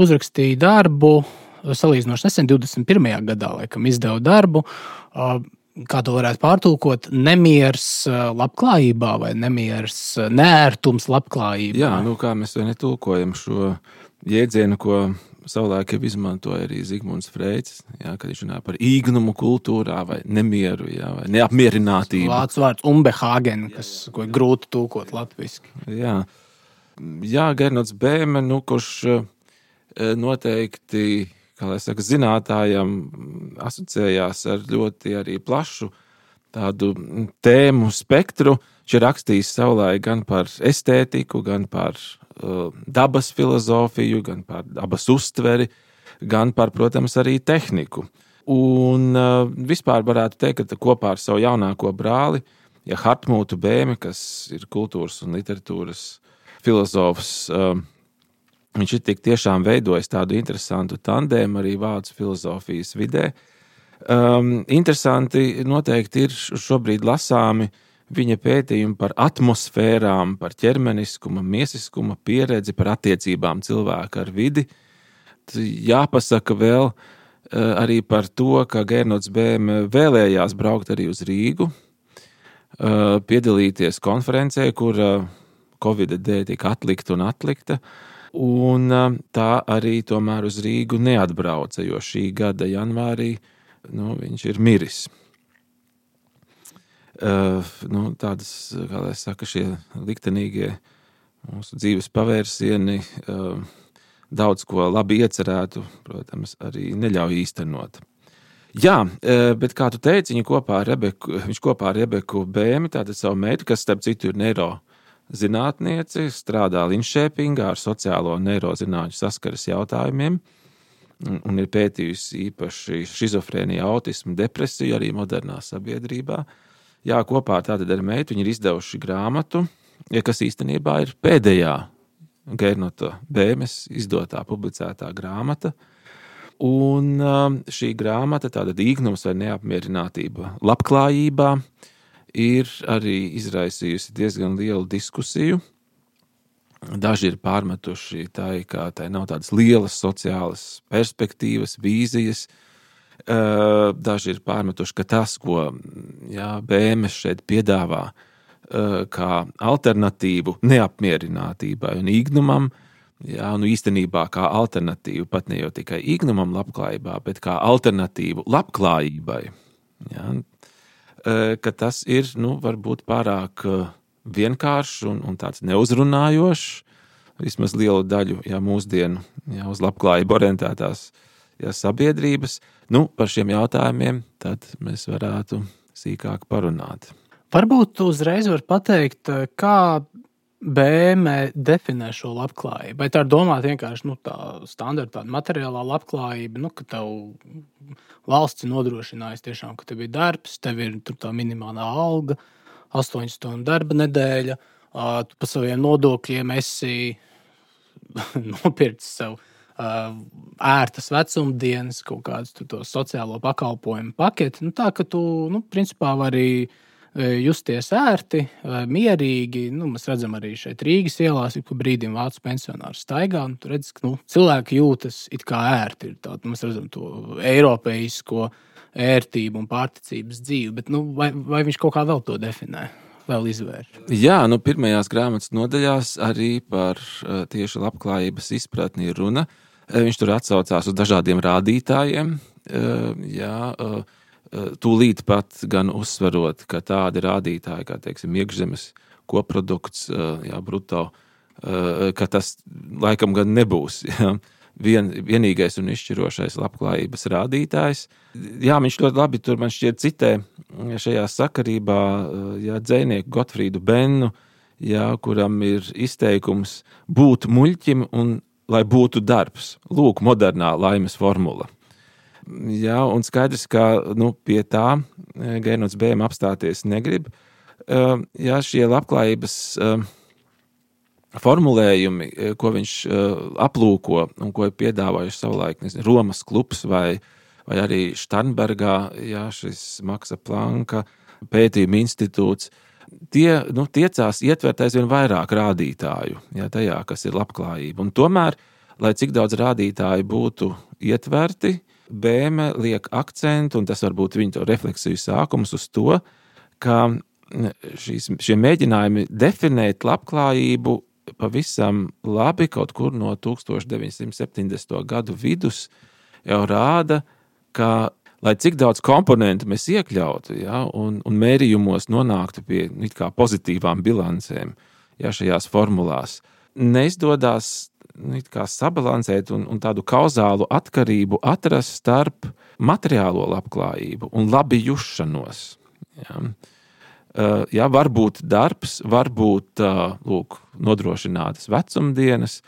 uzrakstīja darbu, salīdzinoši nesen 21. gadā, laikam izdeva darbu, kā to varētu pārtulkot, nemiers labklājībā vai nemiers neērtums labklājībā. Jā, kā mēs to netulkojam šo jēdzienu, ko savulaik jau izmantoja arī Zigmunds Freids, kad viņš runā par īgnumu kultūrā vai nemieru, vai neapmierinātību. Vācu vārds Unbehagen, ko ir grūti tulkot latviski. Jā, Gernots Bēme, kurš noteikti, zinātājam asociējās ar ļoti arī plašu tādu tēmu spektru. Viņš ir rakstījis savulaik gan par estētiku, gan par dabas filozofiju, gan par dabas uztveri, gan par, protams, arī tehniku. Un vispār varētu teikt, ka kopā ar savu jaunāko brāli, Hartmūtu Bēmi, kas ir kultūras un literatūras filozofs, viņš ir tik tiešām veidojis tādu interesantu tandēmu arī vācu filozofijas vidē. Interesanti noteikti ir šobrīd lasāmi viņa pētījumi par atmosfērām, par ķermeniskuma, miesiskuma pieredzi, par attiecībām cilvēka ar vidi. Jāpasaka vēl arī par to, ka Gernots Bēme vēlējās braukt arī uz Rīgu, piedalīties konferencē, kur Covid dēļ tika atlikta un atlikta, un tā arī tomēr uz Rīgu neatbrauca, jo šī gada janvārī viņš ir miris. Tādas, kā lai saka, šie liktenīgie mūsu dzīves pavērsieni daudz ko labi iecerētu, protams, arī neļauj īstenot. Jā, bet kā tu teici, viņš kopā ar Rebeku Bēmi, tātad savu meitu, kas starp citu ir neirozinātniece, strādā Linšēpingā ar sociālo neirozinātņu saskares jautājumiem un ir pētījusi īpaši šizofrēniju, autismu, depresiju arī modernā sabiedrībā. Jā, kopā tātad ar meitu viņi ir izdevuši grāmatu, kas īstenībā ir pēdējā Gernota Bēmes izdotā, publicētā grāmata. Un šī grāmata, tātad īgnums vai neapmierinātība labklājībā, ir arī izraisījusi diezgan lielu diskusiju. Daži ir pārmetuši tai, ka tai nav tādas lielas sociālas perspektīvas, vīzijas. Daži ir pārmetuši, ka tas, ko BMW šeit piedāvā kā alternatīvu neapmierinātībai un īgnumam, īstenībā kā alternatīvu pat ne jau tikai īgnumam labklājībā, bet kā alternatīvu labklājībai. Ka tas ir, varbūt pārāk vienkāršs un tāds neuzrunājošs, vismaz lielu daļu mūsdienu uz labklājību orientētās sabiedrības. Par šiem jautājumiem tad mēs varētu sīkāk parunāt. Varbūt uzreiz var pateikt, kā BMW definē šo labklājību. Vai tā ir domāta vienkārši tā standarta materiālā labklājība, ka tev valsts nodrošinājusi tiešām, ka tev ir darbs, tev ir tā minimālā alga, 8 stundu darba nedēļa, tu pa saviem nodokļiem esi nopircis sev ērtas vecumdienas, kaut kādus to sociālo pakalpojumu paketi. Tā, ka tu, principā vari justies ērti, mierīgi. Mēs redzam arī šeit Rīgas ielās, ik pa brīdim vācu pensionāri staigā. Tu redz, ka cilvēki jūtas it kā ērti. Mēs redzam to eiropeisko ērtību un pārticības dzīvi. Bet vai viņš kaut kā vēl to definē? Vēl izvērš? Jā, pirmajās grāmatas nodaļās arī par tieši labklājības izpratni ir runa. Viņš tur atsaucās uz dažādiem rādītājiem. Tūlīt pat gan uzsverot, ka tādi rādītāji, kā teiksim, iekšzemes koprodukts, bruto, ka tas laikam gan nebūs vienīgais un izšķirošais labklājības rādītājs. Viņš ļoti labi tur man šķiet citē šajā sakarībā dzejnieku Gotfrīdu Bennu, kuram ir izteikums būt muļķim un lai būtu darbs. Lūk, modernā laimes formula. Un skaidrs, ka pie tā Gernons Bēma apstāties negrib. Šie labklājības formulējumi, ko viņš aplūko un ko ir piedāvājuši savulaik Romas klubs vai arī Starnbergā, šis Maksa Planka pētījuma institūts, tie tiecās ietvert aizvien vairāk rādītāju, tajā, kas ir labklājība. Un tomēr, lai cik daudz rādītāju būtu ietverti, Bēme liek akcentu, un tas varbūt viņa to refleksiju sākums uz to, ka šie mēģinājumi definēt labklājību pavisam labi kaut kur no 1970. gadu vidus jau rāda, ka, lai cik daudz komponentu mēs iekļautu, un mērījumos nonāktu pie it kā pozitīvām bilancēm, šajās formulās, neizdodas kā sabalansēt un tādu kauzālu atkarību atrast starp materiālo labklājību un labi jušanos. Var būt darbs, var būt nodrošinātas vecumdienas,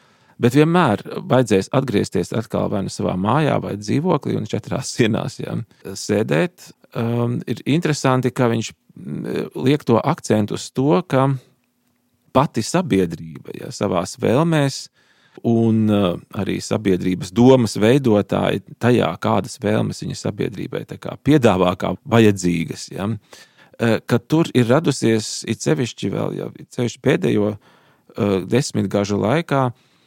bet vienmēr vajadzēs atgriezties atkal vai savā mājā vai dzīvoklī un 4 sienās sēdēt. Ir interesanti, ka viņš liek to akcentu uz to, ka pati sabiedrība savās vēlmēs un arī sabiedrības domas veidotāji tajā, kādas vēlmes viņa sabiedrībai piedāvā kā vajadzīgas, ka tur ir radusies it sevišķi pēdējo 10 gažu laikā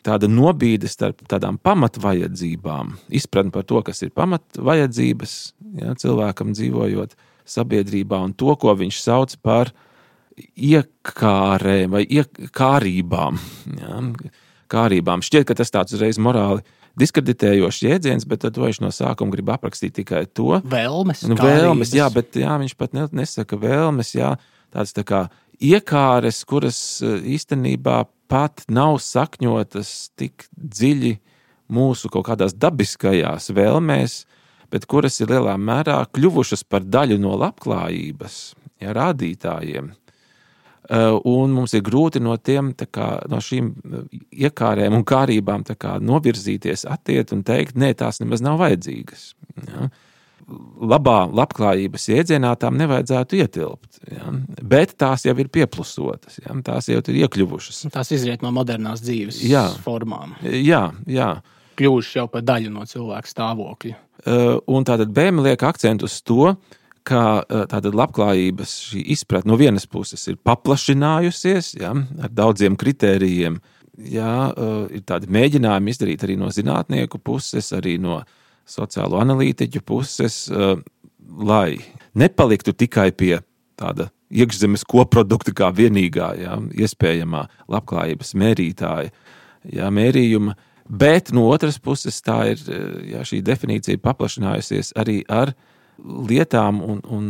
tāda nobīde starp tādām pamatvajadzībām, izpratni par to, kas ir pamatvajadzības, cilvēkam dzīvojot sabiedrībā, un to, ko viņš sauc par iekārēm vai iekārībām. Kārībām. Šķiet, ka tas tāds uzreiz morāli diskreditējošs jēdziens, bet tad viņš no sākuma grib aprakstīt tikai to. Vēlmes, vēlmes, bet viņš pat nesaka vēlmes, tādas tā kā iekāres, kuras īstenībā pat nav sakņotas tik dziļi mūsu kaut kādās dabiskajās vēlmēs, bet kuras ir lielā mērā kļuvušas par daļu no labklājības, rādītājiem. Un mums ir grūti no šīm iekārēm un kārībām novirzīties, attiet un teikt, nē, tās nemaz nav vajadzīgas. Labā labklājības jēdzienā tām nevajadzētu ietilpt, bet tās jau ir pieplusotas, tās jau ir iekļuvušas. Tās izriet no modernās dzīves formām. Jā. Kļuvušas jau par daļu no cilvēka stāvokļa. Un tātad Bēme liek akcentu uz to, ka tātad labklājības šī izpratne no vienas puses ir paplašinājusies, ar daudziem kritērijiem, ir tādi mēģinājumi izdarīt arī no zinātnieku puses, arī no sociālo analītiķu puses, lai nepaliktu tikai pie tāda iekšzemes koprodukta kā vienīgā iespējamā labklājības mērītāja mērījuma, bet no otras puses tā ir šī definīcija paplašinājusies arī ar lietām un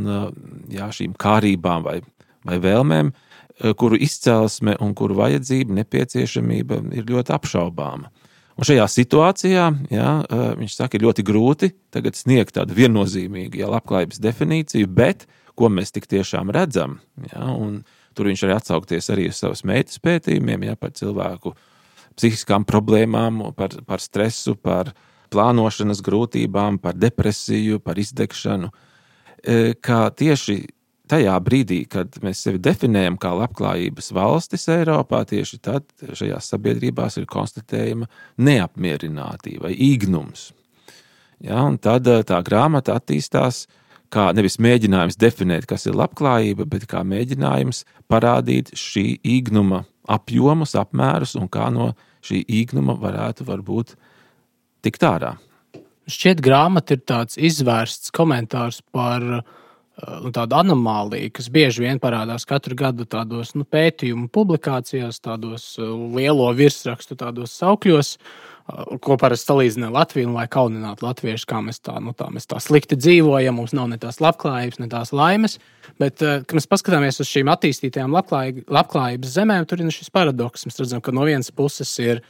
šīm kārībām vai vēlmēm, kuru izcelsme un kuru vajadzība, nepieciešamība ir ļoti apšaubāma. Un šajā situācijā, viņš saka, ir ļoti grūti tagad sniegt tādu viennozīmīgu labklājības definīciju, bet ko mēs tik tiešām redzam, un tur viņš arī atsaukties arī uz savas meitas pētījumiem, par cilvēku psihiskām problēmām, par stresu, par plānošanas grūtībām, par depresiju, par izdegšanu, kā tieši tajā brīdī, kad mēs sevi definējam kā labklājības valstis Eiropā, tieši tad šajās sabiedrībās ir konstatējama neapmierinātība vai īgnums. Un tad tā grāmata attīstās kā nevis mēģinājums definēt, kas ir labklājība, bet kā mēģinājums parādīt šī īgnuma apjomus, apmērus un kā no šī īgnuma varētu varbūt tikt ārā. Šķiet, grāmata ir tāds izvērsts komentārs par tādu anomāliju, kas bieži vien parādās katru gadu tādos pētījumu publikācijās, tādos lielo virsrakstu, tādos saukļos, ko parasti salīdzina Latviju, lai kauninātu latviešus, kā mēs tā slikti dzīvojam, mums nav ne tās labklājības, ne tās laimes. Bet, kad mēs paskatāmies uz šīm attīstītajām labklājības zemēm, tur ir šis paradoks. Mēs redzam, ka no vienas puses ir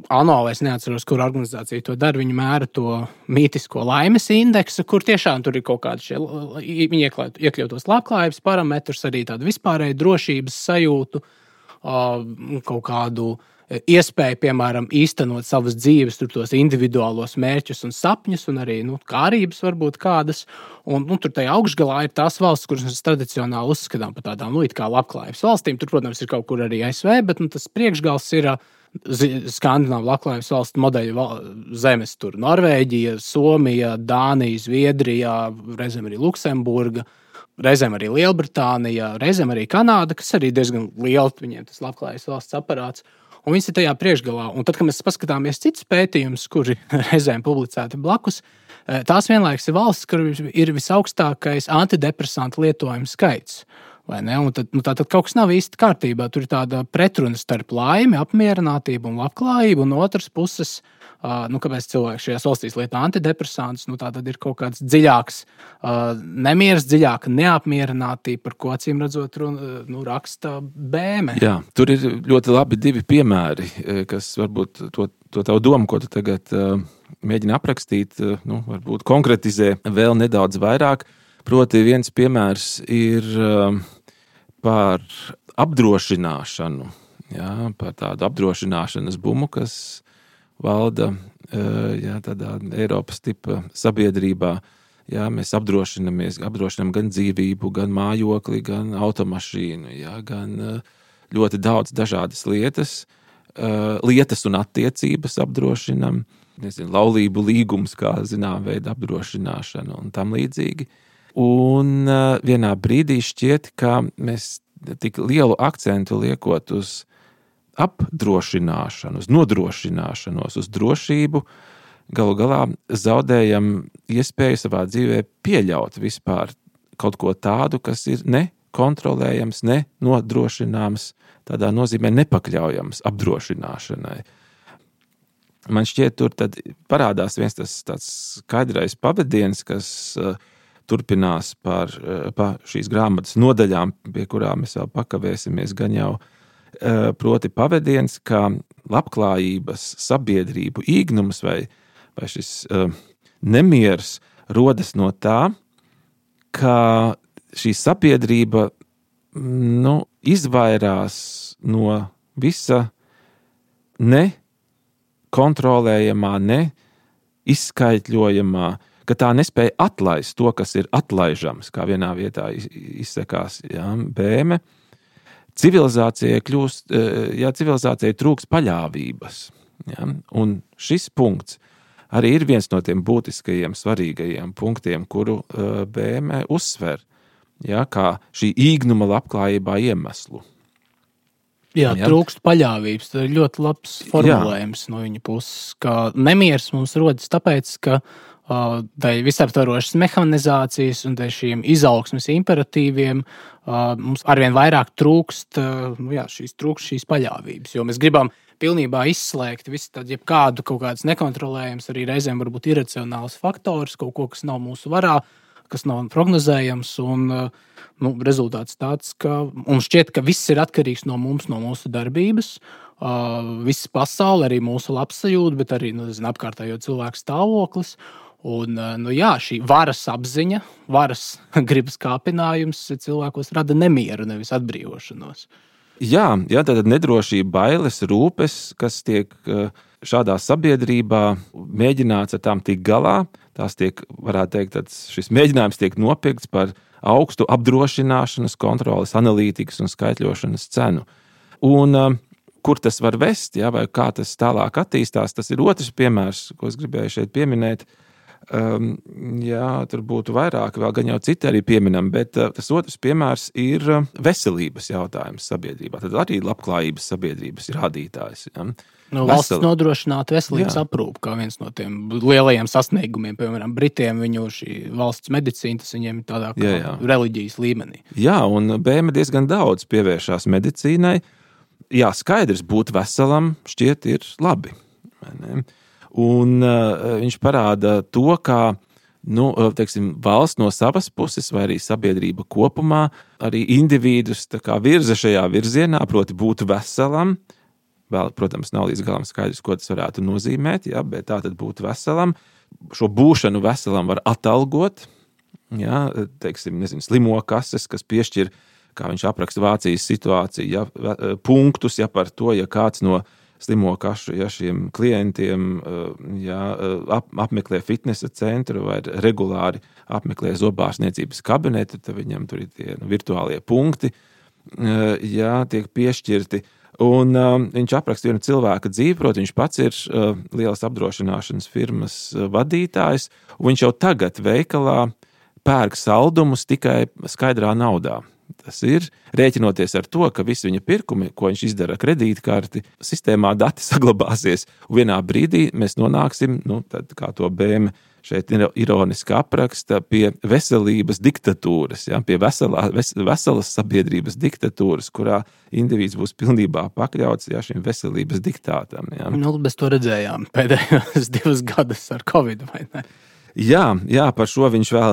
ANO, es neatceros, kur organizācija to dara, viņi mēra to mītisko laimes indeksu, kur tiešām tur ir kaut kādi viņi iekļautos labklājības parametrus, arī tādu vispārēju drošības sajūtu, kaut kādu iespēju, piemēram, īstenot savas dzīves, tos individuālos mērķus un sapņus, un arī kārības varbūt kādas. Un tur tajā augšgalā ir tās valsts, kuras mēs tradicionāli uzskatām par tādām it kā labklājības valstīm. Tur, protams, ir kaut kur arī ASV, bet tas priekšgals ir Skandināvu labklājības valstu modeļu zemes. Tur Norvēģija, Somija, Dānija, Zviedrija, reizēm arī Luksemburga, reizēm arī Lielbritānija, reizēm arī Kanāda, kas arī diezgan liela, viņiem tas labklājības valsts aparāts. Un viņas ir tajā priekšgalā. Un tad, kad mēs paskatāmies citus pētījumus, kuri reizēm publicēti blakus, tās vienlaikus ir valsts, kur ir visaugstākais antidepresantu lietojuma skaits. Tad kaut kas nav īsti kārtībā. Tur ir tāda pretruna starp laimi, apmierinātību un labklājību, un no otras puses, kāpēc cilvēki šajās valstīs lieto antidepresantus, tā tad ir kaut kāds dziļāks nemieris, dziļāka neapmierinātība, par ko acīm redzot raksta Bēme. Jā, tur ir ļoti labi divi piemēri, kas varbūt to tavu domu, ko tu tagad mēģini aprakstīt, varbūt konkretizē vēl nedaudz vairāk. Proti viens piemērs ir par apdrošināšanu, par tādu apdrošināšanas bumu, kas valda tādā Eiropas tipa sabiedrībā. Mēs apdrošinam gan dzīvību, gan mājokli, gan automašīnu, gan ļoti daudz dažādas lietas un attiecības apdrošinam. Laulību līgums, kā zinām, veida apdrošināšana un tam līdzīgi. Un vienā brīdī šķiet, ka mēs tik lielu akcentu liekot uz apdrošināšanu, uz nodrošināšanos, uz drošību, galu galā zaudējam iespēju savā dzīvē pieļaut vispār kaut ko tādu, kas ir nekontrolējams, nenodrošināms, tādā nozīmē nepakļaujams apdrošināšanai. Man šķiet, tur tad parādās viens tas tāds skaidrais pavadiens, kas turpinās pa šīs grāmatas nodaļām, pie kurām mēs vēl pakavēsimies gan jau, proti pavadiens, ka labklājības sabiedrību īgnums vai šis nemiers rodas no tā, ka šī sabiedrība izvairās no visa nekontrolējamā, neizskaitļojamā, ka tā nespēja atlaist to, kas ir atlaižams, kā vienā vietā izsakās Bēme. Civilizācijai trūks paļāvības. Un šis punkts arī ir viens no tiem būtiskajiem, svarīgajiem punktiem, kuru Bēme uzsver, kā šī īgnuma labklājībā iemeslu. Jā, trūkst paļāvības. Tas ir ļoti labs formulējums no viņa puses, ka nemieris mums rodas tāpēc, ka dēļ visaptvarošas mehanizācijas un dēļ šiem izaugsmes imperatīviem mums arvien vairāk trūkst šīs paļāvības. Jo mēs gribam pilnībā izslēgt visu tādu, jebkādu kaut kādas nekontrolējams, arī reizēm varbūt iracionāls faktors, kaut ko, kas nav mūsu varā, kas nav prognozējams. Un rezultāts tāds, ka mums šķiet, ka viss ir atkarīgs no mums, no mūsu darbības. Visa pasaule, arī mūsu labsajūta, bet arī apkārtējo cilvēku stāvoklis. Un, šī varas apziņa, varas gribas kāpinājums cilvēkos rada nemieru, nevis atbrīvošanos. Jā, tātad nedrošība, bailes, rūpes, kas tiek šādā sabiedrībā mēģināts ar tām tikt galā. Tās tiek, varētu teikt, šis mēģinājums tiek nopirkts par augstu apdrošināšanas, kontroles, analītikas un skaitļošanas cenu. Un kur tas var vest, vai kā tas tālāk attīstās, tas ir otrs piemērs, ko es gribēju šeit pieminēt. Tur būtu vairāk, vēl gan jau citi arī pieminam, bet tas otrs piemērs ir veselības jautājums sabiedrībā. Tad arī labklājības sabiedrības rādītājs. Ja? Valsts nodrošināt veselības aprūpi kā viens no tiem lielajiem sasniegumiem, piemēram, Britiem, viņu šī valsts medicīna, tas viņiem tādā kā reliģijas līmenī. Jā, un BM diezgan daudz pievēršās medicīnai. Jā, skaidrs, būt veselam šķiet ir labi. Vai ne? Un viņš parāda to, kā valsts no savas puses, vai arī sabiedrība kopumā, arī individus virza šajā virzienā, proti būt veselam. Vēl, protams, nav līdz galam skaidrs, ko tas varētu nozīmēt, bet tā tad būt veselam. Šo būšanu veselam var atalgot, slimo kases, kas piešķir, kā viņš apraksta Vācijas situāciju, punktus par to, ja kāds no slimo kašu, šiem klientiem apmeklē fitnesa centru vai regulāri apmeklē zobārstniecības kabinetu, tad viņam tur ir tie virtuālie punkti, tiek piešķirti. Un viņš apraksta vienu cilvēka dzīvi, proti viņš pats ir lielas apdrošināšanas firmas vadītājs, un viņš jau tagad veikalā pērk saldumus tikai skaidrā naudā. Tas ir rēķinoties ar to, ka visi viņa pirkumi, ko viņš izdara kredītkarti, sistēmā dati saglabāsies. Un vienā brīdī mēs nonāksim, tad, kā to BM šeit ironiski apraksta, pie veselības diktatūras, pie veselas sabiedrības diktatūras, kurā indivīds būs pilnībā pakļauts šim veselības diktātam. Mēs to redzējām pēdējos 2 gadus ar Covid, vai ne? Jā, par šo viņš vēl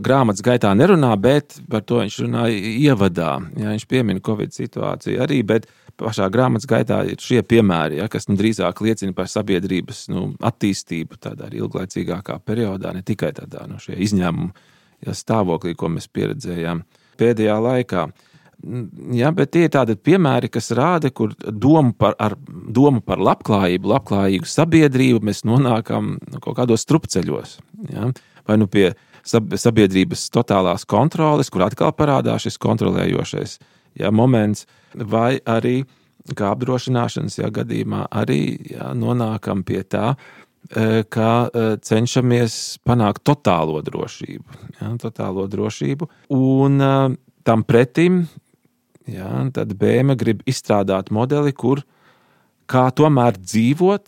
grāmatas gaitā nerunā, bet par to viņš runā ievadā. Viņš piemina Covid situāciju arī, bet pašā grāmatas gaitā ir šie piemēri, kas drīzāk liecina par sabiedrības attīstību tādā arī ilglaicīgākā periodā, ne tikai tādā šie izņēmumu stāvoklī, ko mēs pieredzējām pēdējā laikā. Bet tie ir tādi piemēri, kas rāda, kur domu par labklājīgu sabiedrību mēs nonākam kaut kādos strupceļos. Vai pie sabiedrības totālās kontroles, kur atkal parādās šis kontrolējošais moments, vai arī, kā apdrošināšanas gadījumā, arī nonākam pie tā, ka cenšamies panākt totālo drošību. Un tam pretim, tad BM grib izstrādāt modeli, kā tomēr dzīvot,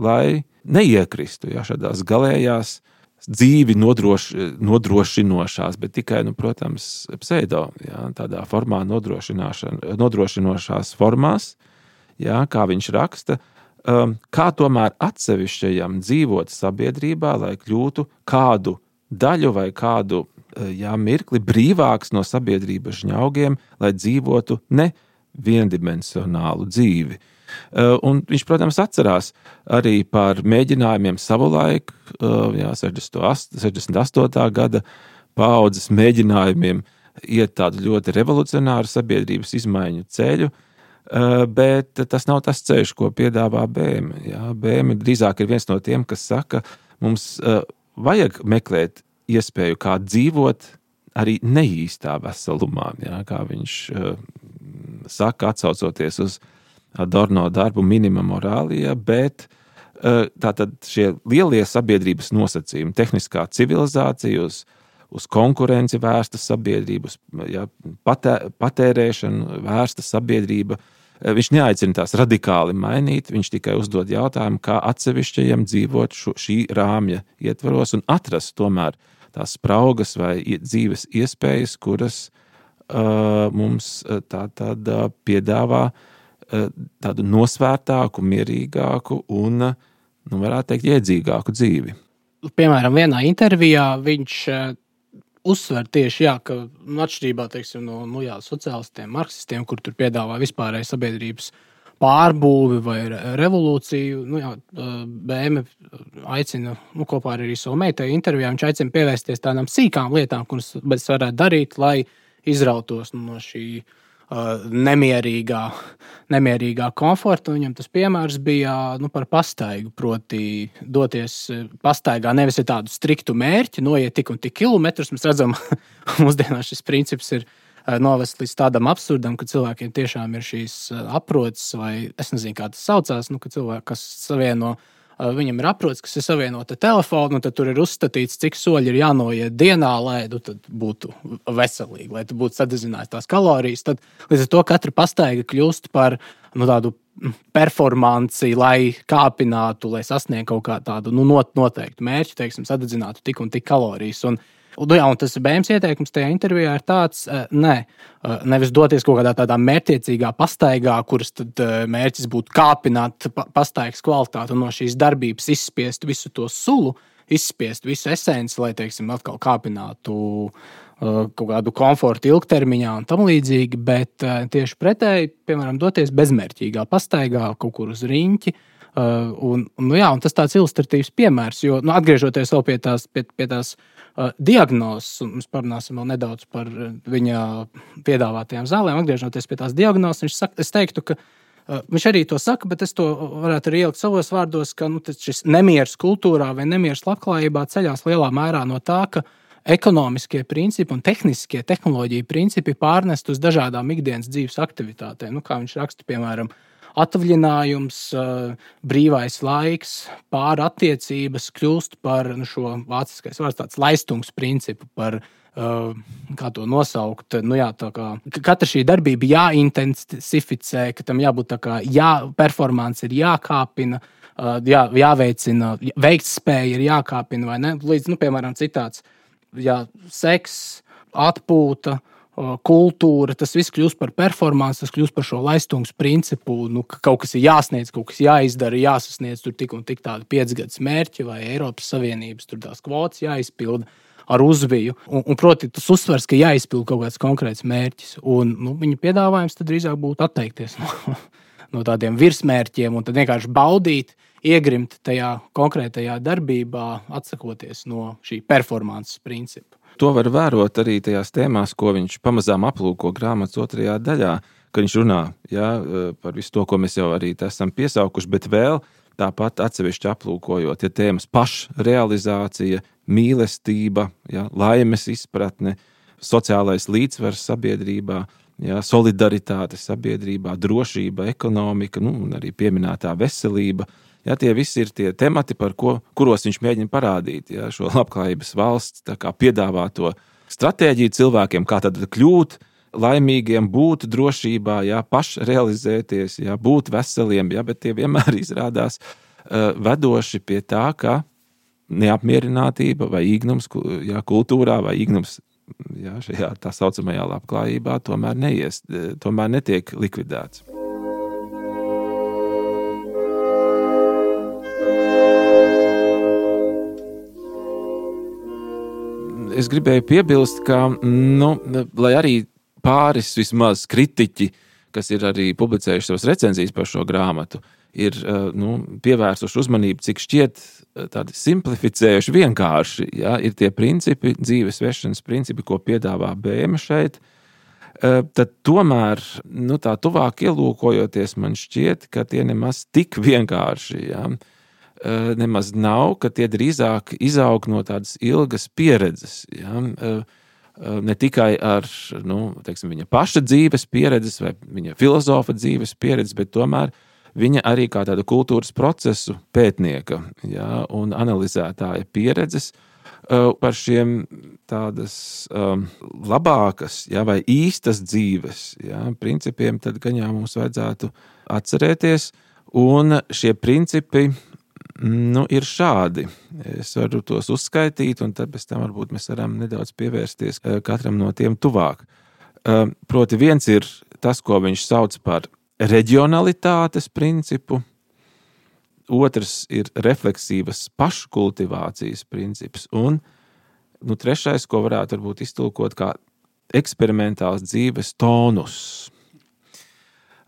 lai neiekristu šādās galējās dzīvi nodrošinošās, bet tikai, protams, pseido, tādā formā nodrošinošās formās, kā viņš raksta, kā tomēr atsevišķajam dzīvot sabiedrībā, lai kļūtu kādu daļu vai kādu mirkli brīvāks no sabiedrības žņaugiem, lai dzīvotu ne viendimensionālu dzīvi. Un viņš, protams, atcerās arī par mēģinājumiem savulaik, 68. gada paaudzes mēģinājumiem iet tādu ļoti revolucionāru sabiedrības izmaiņu ceļu, bet tas nav tas ceļš, ko piedāvā BM. BM drīzāk ir viens no tiem, kas saka, mums vajag meklēt iespēju kā dzīvot arī neīstā veselumā, kā viņš saka, atsaucoties uz Adorno darbu Minima Morālija, bet tātad šie lielie sabiedrības nosacījumi, tehniskā civilizācija uz uz konkurenci vērsta sabiedrība, patērēšanu vērsta sabiedrība. Viņš neaicina tās radikāli mainīt, viņš tikai uzdod jautājumu, kā atsevišķajiem dzīvot šī rāmja ietvaros un atrast tomēr tās spraugas vai dzīves iespējas, kuras mums tātad piedāvā tādu nosvērtāku, mierīgāku un, varētu teikt, iedzīgāku dzīvi. Piemēram, vienā intervijā viņš uzsver tieši, ka atšķirībā, teiksim, no sociālistiem, marksistiem, kur tur piedāvā vispārēju sabiedrības pārbūvi vai revolūciju, BM aicina, kopā ar arī savu meitai intervijā, viņš aicina pievērsties tādām sīkām lietām, kuras varētu darīt, lai izrautos no šī nemierīgā komforta. Viņam tas piemērs bija par pastaigu, proti doties pastaigā nevis ir tādu striktu mērķi, noiet tik un tik kilometrus. Mēs redzam, mūsdienās šis princips ir novest līdz tādam absurdam, ka cilvēkiem tiešām ir šīs aproces, vai es nezinu, kā tas saucās, ka cilvēki, kas savieno, viņam ir aproces, kas ir savienota telefonu, un tad tur ir uzstatīts, cik soļi ir jānoiet dienā, lai tad būtu veselīgi, lai tu būtu sadedzinājis tās kalorijas. Tad līdz ar to katra pastaiga kļūst par tādu performanci, lai kāpinātu, lai sasniegtu kaut kā tādu noteiktu mērķi, teiksim, sadedzinātu tik un tik kalorijas. Un tas BM's ieteikums tajā intervijā ir tāds, nevis doties kaut kādā tādā mērķtiecīgā pastaigā, kuras tad mērķis būtu kāpināt pastaigas kvalitāti un no šīs darbības izspiest visu to sulu, izspiest visu esenci, lai, teiksim, atkal kāpinātu kaut kādu komfortu ilgtermiņā un tam līdzīgi, bet tieši pretēji, piemēram, doties bezmērķīgā pastaigā kaut kur uz riņķi. Un tas tāds ilustratīvs piemērs, jo atgriežoties vēl pie tās diagnozes, un mēs parunāsim vēl nedaudz par viņa piedāvātajām zālēm, atgriežoties pie tās diagnozes, es teiktu, ka viņš arī to saka, bet es to varētu arī ielikt savos vārdos, ka šis nemieris kultūrā vai nemieris labklājībā ceļās lielā mērā no tā, ka ekonomiskie principi un tehnoloģiju principi pārnest uz dažādām ikdienas dzīves aktivitātēm. Kā viņš raksta, piemēram, atvaļinājums, brīvais laiks, pārattiecības kļūst par šo vāciskais vārds tāds laistums principu, par, kā to nosaukt, tā kā katra šī darbība jāintensificē, ka tam jābūt tā kā, performance ir jākāpina, jāveicina, veiktspēja ir jākāpina, vai ne? Līdz, piemēram, citāts, seks, atpūta, kultūra, tas viss kļūst par performanci, tas kļūst par šo laistums principu, ka kaut kas ir jāsniedz, kaut kas jāizdara, jāsasniedz tur tik un tik tādi 5 gadus mērķi vai Eiropas Savienības tur tās kvotas jāizpilda ar uzviju. Un proti, tas uzsvers, ka jāizpilda kaut kāds konkrēts mērķis. Un viņa piedāvājums tad drīzāk būtu atteikties no tādiem virsmērķiem un tad vienkārši baudīt, iegrimt tajā konkrētajā darbībā, atsakoties no šī performances principa. To var vērot arī tajās tēmās, ko viņš pamazām aplūko grāmatas 2. daļā, kad viņš runā par visu to, ko mēs jau arī esam piesaukuši, bet vēl tāpat atsevišķi aplūkojot tēmas pašrealizācija, mīlestība, laimes izpratne, sociālais līdzsvars sabiedrībā, solidaritāte sabiedrībā, drošība, ekonomika, un arī pieminētā veselība. Tie visi ir tie temati, kuros viņš mēģina parādīt šo labklājības valsts piedāvāto stratēģiju cilvēkiem, kā tad kļūt laimīgiem, būt drošībā, pašrealizēties, būt veseliem, bet tie vienmēr izrādās vedoši pie tā, ka neapmierinātība vai īgnums kultūrā vai īgnums šajā tā saucamajā labklājībā tomēr netiek likvidēts. Es gribēju piebilst, ka, lai arī pāris vismaz kritiķi, kas ir arī publicējuši savas recenzijas par šo grāmatu, ir pievērsuši uzmanību, cik šķiet tādi simplificējuši vienkārši, ir tie principi, dzīves vešanas principi, ko piedāvā BM šeit, tad tomēr, tā tuvāk ielūkojoties, man šķiet, ka tie nemaz tik vienkārši, nemaz nav, ka tie drīzāk izaug no tādas ilgas pieredzes, ne tikai ar, viņa paša dzīves pieredzes vai viņa filozofa dzīves pieredzes, bet tomēr viņa arī kā tāda kultūras procesu pētnieka, un analizētāja pieredzes, par šiem tādas labākas vai īstas dzīves principiem, tad gan jau mums vajadzētu atcerēties. Un šie principi ir šādi. Es varu tos uzskaitīt, un tad pēc tam varbūt mēs varam nedaudz pievērsties katram no tiem tuvāk. Proti viens ir tas, ko viņš sauc par reģionalitātes principu. Otrs ir refleksīvas paškultivācijas princips. Un trešais, ko varētu varbūt iztulkot kā eksperimentāls dzīves tonus.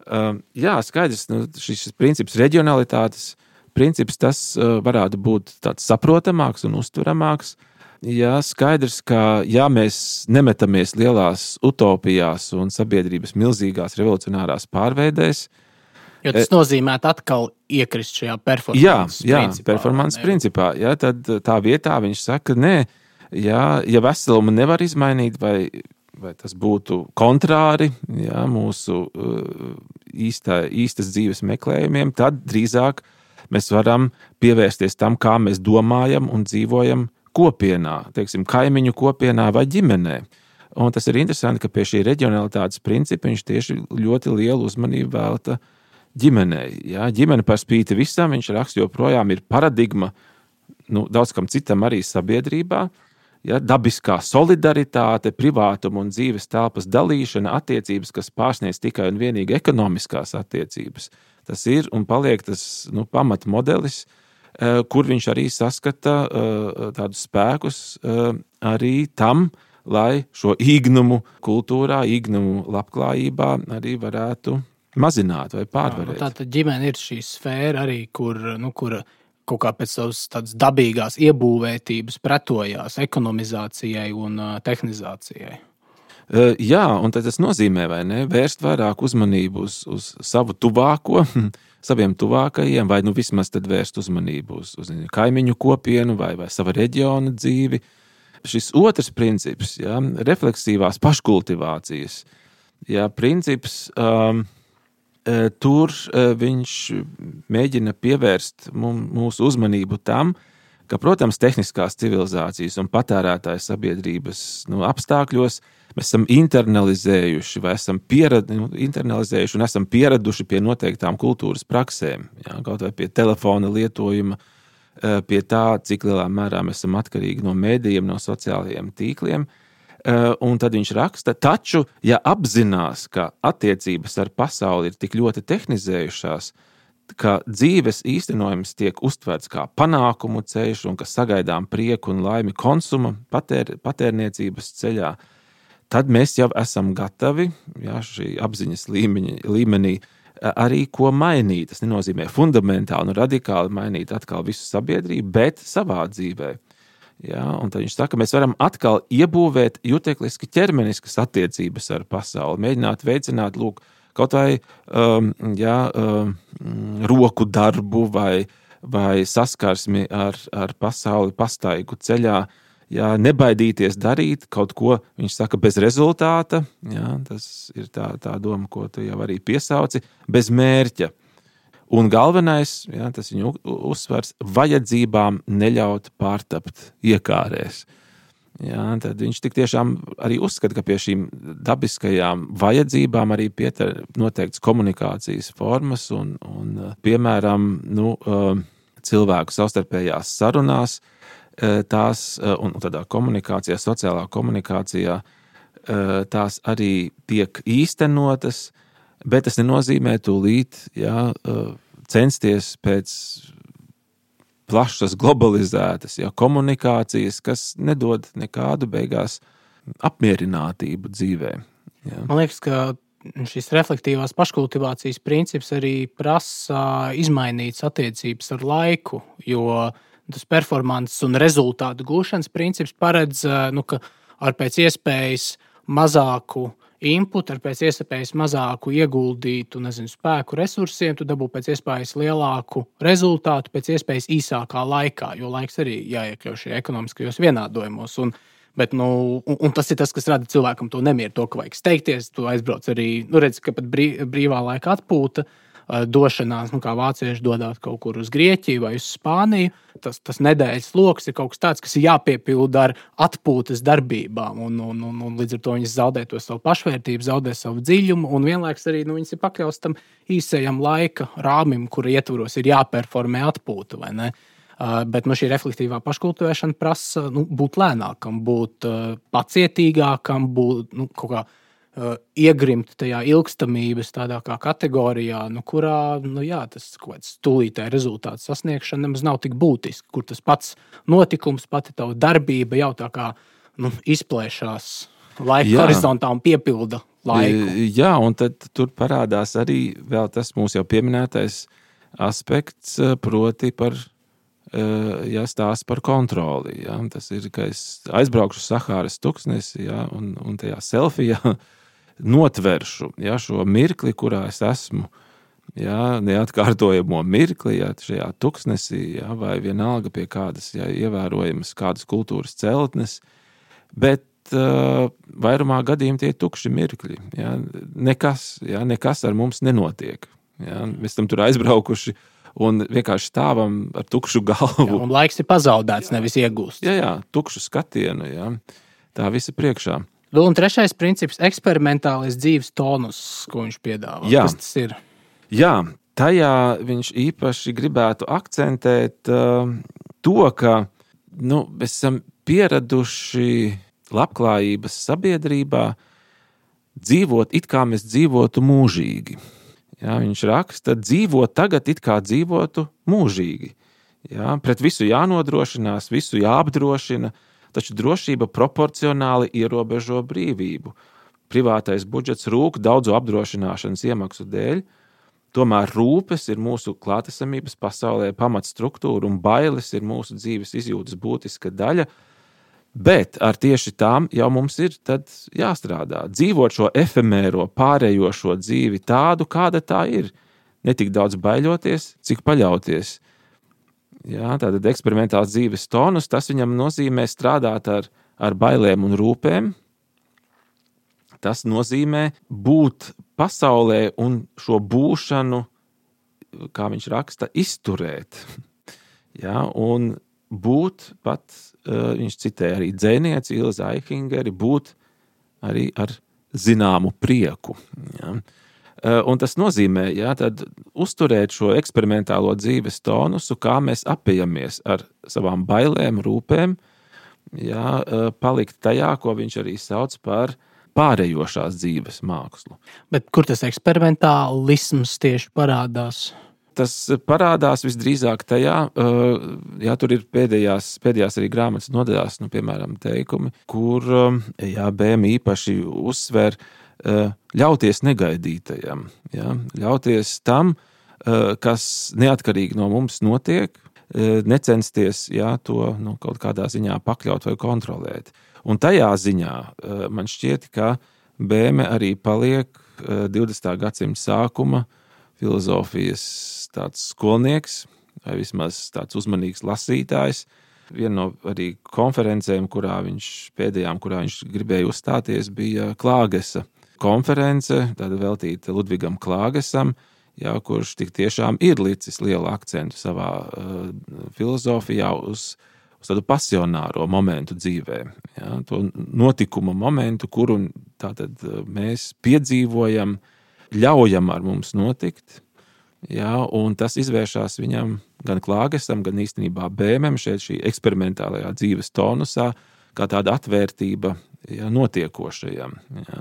Skaidrs, šis princips reģionalitātes princips, tas varētu būt tāds saprotamāks un uztveramāks. Skaidrs, ka mēs nemetamies lielās utopijās un sabiedrības milzīgās revolucionārās pārveidēs. Jo tas nozīmē atkal iekrist šajā performances principā. Tad tā vietā viņš saka, nē, ja veselumu nevar izmainīt vai tas būtu kontrāri mūsu īstas dzīves meklējumiem, tad drīzāk mēs varam pievērsties tam, kā mēs domājam un dzīvojam kopienā, teiksim, kaimiņu kopienā vai ģimenē. Un tas ir interesanti, ka pie šī reģionalitātes principa viņš tieši ļoti lielu uzmanību velta ģimenei. Ģimene par spīti visam, viņš raksta, joprojām ir paradigma daudz kam citam arī sabiedrībā. Dabiskā solidaritāte, privātuma un dzīves telpas dalīšana, attiecības, kas pārsniedz tikai un vienīgi ekonomiskās attiecības. Tas ir un paliek tas pamatmodelis, kur viņš arī saskata tādus spēkus arī tam, lai šo īgnumu kultūrā, īgnumu labklājībā arī varētu mazināt vai pārvarēt. Tātad ģimene ir šī sfēra arī, kur kaut kā pēc savas tādas dabīgās iebūvētības pretojās ekonomizācijai un tehnizācijai. Un tas nozīmē, vai ne, vērst vairāk uzmanību uz savu tuvāko, saviem tuvākajiem, vai vismaz tad vērst uzmanību uz kaimiņu kopienu vai sava reģiona dzīvi. Šis otrs princips, refleksīvās paškultivācijas, princips, tur viņš mēģina pievērst mūsu uzmanību tam, ka, protams, tehniskās civilizācijas un patērētāju sabiedrības apstākļos mēs esam internalizējuši vai esam internalizējuši un esam pieraduši pie noteiktām kultūras praksēm. Kaut vai pie telefona lietojuma, pie tā, cik lielā mērā mēs esam atkarīgi no mēdījiem, no sociālajiem tīkliem. Un tad viņš raksta, taču, ja apzinās, ka attiecības ar pasauli ir tik ļoti tehnizējušās, ka dzīves īstenojums tiek uztverts kā panākumu ceļš un ka sagaidām prieku un laimi konsuma patērniecības ceļā, tad mēs jau esam gatavi šī apziņas līmenī arī ko mainīt. Tas nenozīmē fundamentāli un radikāli mainīt atkal visu sabiedrību, bet savā dzīvē. Un tad viņš saka, mēs varam atkal iebūvēt jutekliski ķermeniskas attiecības ar pasauli, mēģināt veicināt kaut vai roku darbu vai saskarsmi ar pasauli pastaigu ceļā, nebaidīties darīt kaut ko, viņš saka, bez rezultāta, tas ir tā doma, ko tu jau arī piesauci, bez mērķa. Un galvenais, tas viņu uzsvars, vajadzībām neļaut pārtapt iekārēs. Tad viņš tik tiešām arī uzskata, ka pie šīm dabiskajām vajadzībām arī pieter noteikts komunikācijas formas un piemēram, cilvēku savstarpējās sarunās, tās un tādā komunikācijā, sociālā komunikācijā, tās arī tiek īstenotas, bet tas nenozīmē tūlīt censties pēc plašas, globalizētas komunikācijas, kas nedod nekādu beigās apmierinātību dzīvē. Man liekas, ka šis reflektīvās paškultivācijas princips arī prasa izmainītas attiecības ar laiku, jo tas performances un rezultātu gūšanas princips paredz, ka ar pēc iespējas mazāku input, ar pēc iespējas mazāku ieguldītu spēku resursiem, tu dabū pēc iespējas lielāku rezultātu pēc iespējas īsākā laikā, jo laiks arī jāiekļauj šajos ekonomiskajos vienādojumos. Bet tas ir tas, kas rada cilvēkam to nemieru, to, ka vajag steigties, tu aizbrauc arī, redzi, ka pat brīvā laika atpūta došanās, kā vācieši dodās kaut kur uz Grieķiju vai uz Spāniju. Tas nedēļas loks ir kaut kas tāds, kas ir jāpiepilda ar atpūtas darbībām. Un līdz ar to viņas zaudē to savu pašvērtību, zaudē savu dziļumu, un vienlaikus arī viņas ir pakļauts tam īsajam laika rāmim, kura ietvaros ir jāperformē atpūta, vai ne? Bet šī reflektīvā paškultivēšana prasa būt lēnākam, būt pacietīgākam, būt kaut kā iegrimt tajā ilgstamības tādā kā kategorijā, kurā tas kaut kāds tūlītēji rezultāts sasniegšana nemaz nav tik būtiski, kur tas pats notikums, pati tava darbība jau tā kā izplēšās laika horizontā un piepilda laiku. Jā, un tad tur parādās arī vēl tas mūsu jau pieminētais aspekts, proti par stāsts par kontroli. Ja? Tas ir, ka es aizbraukšu Sahāras tuksnesi, ja? un tajā selfijā notveršu šo mirkli, kurā es esmu, neatkārtojamo mirkli, šajā tuksnesī, vai vienalga pie kādas ievērojamas kādas kultūras celtnes, bet vairumā gadījumā tie ir tukši mirkļi. Nekas ar mums nenotiek. Mēs tam tur aizbraukuši un vienkārši stāvam ar tukšu galvu. Un laiks ir pazaudēts, nevis iegūsts. Jā, tukšu skatienu, tā visa priekšā. Un trešais princips – eksperimentālais dzīves tonus, ko viņš piedāvā. Kas tas ir? Jā, tajā viņš īpaši gribētu akcentēt to, ka mēs esam pieraduši labklājības sabiedrībā dzīvot it kā mēs dzīvotu mūžīgi. Viņš raksta, dzīvot tagad it kā dzīvotu mūžīgi. Pret visu jānodrošinās, visu jāapdrošina, taču drošība proporcionāli ierobežo brīvību. Privātais budžets rūk daudzu apdrošināšanas iemaksu dēļ, tomēr rūpes ir mūsu klātesamības pasaulē pamatstruktūra un bailes ir mūsu dzīves izjūtas būtiska daļa, bet ar tieši tām jau mums ir tad jāstrādā. Dzīvot šo efemēro, pārējošo dzīvi tādu, kāda tā ir. Ne tik daudz baiļoties, cik paļauties. Tātad eksperimentāls dzīves tonus, tas viņam nozīmē strādāt ar bailēm un rūpēm. Tas nozīmē būt pasaulē un šo būšanu, kā viņš raksta, izturēt. Un būt pat, viņš citē arī dzēnieci Ilzi Aihingeri, būt arī ar zināmu prieku. Un tas nozīmē, tad uzturēt šo eksperimentālo dzīves tonusu, kā mēs apiejamies ar savām bailēm, rūpēm, palikt tajā, ko viņš arī sauc par pārējošās dzīves mākslu. Bet kur tas eksperimentālisms tieši parādās? Tas parādās visdrīzāk tajā, tur ir pēdējās arī grāmatas nodaļās, piemēram, teikumi, kur BM īpaši uzsver ļauties negaidītajam, ļauties tam, kas neatkarīgi no mums notiek, necensties to kaut kādā ziņā pakļaut vai kontrolēt. Un tajā ziņā man šķiet, ka BM arī paliek 20. gadsimta sākuma filozofijas tāds skolnieks, vai vismaz tāds uzmanīgs lasītājs. Viena no arī konferencēm, kurā viņš gribēja uzstāties, bija Klāgesa konference, tāda veltīta Ludvigam Klāgesam, kurš tik tiešām ir licis lielu akcentu savā filozofijā uz tādu pasionāro momentu dzīvē. To notikuma momentu, kuru tātad mēs piedzīvojam, ļaujam ar mums notikt, un tas izvēršās viņam gan Klāgesam, gan īstenībā Bēmem šeit šī eksperimentālajā dzīves tonusā, kā tāda atvērtība notiekošajam,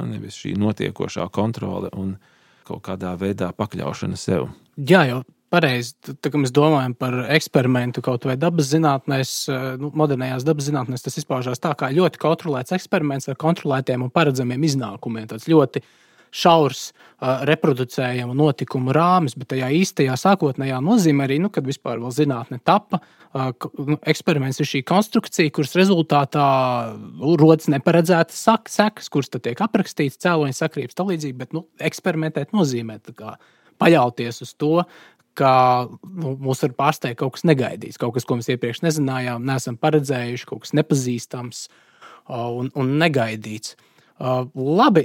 nevis šī notiekošā kontrole un kaut kādā veidā pakļaušana sev. Jā, jau pareizi, tā kā mēs domājam par eksperimentu kaut vai dabas zinātnēs, modernajās dabas zinātnēs, tas izpaužās tā kā ļoti kontrolēts eksperiments ar kontrolētiem un paredzamiem iznākumiem, tāds ļoti šaurs reproducējamu notikumu rāmis, bet tajā īstajā sākotnējā nozīmē arī, kad vispār vēl zinātne tapa, eksperiments ir šī konstrukcija, kuras rezultātā rodas neparedzētas sekas, kuras tad tiek aprakstīts, cēloņa sakrības tālīdzīgi, bet eksperimentēt nozīmē tā kā paļauties uz to, ka mūs var pārsteigt kaut kas negaidīts, kaut kas, ko mēs iepriekš nezinājām, neesam paredzējuši, kaut kas nepazīstams un negaidīts. Labi,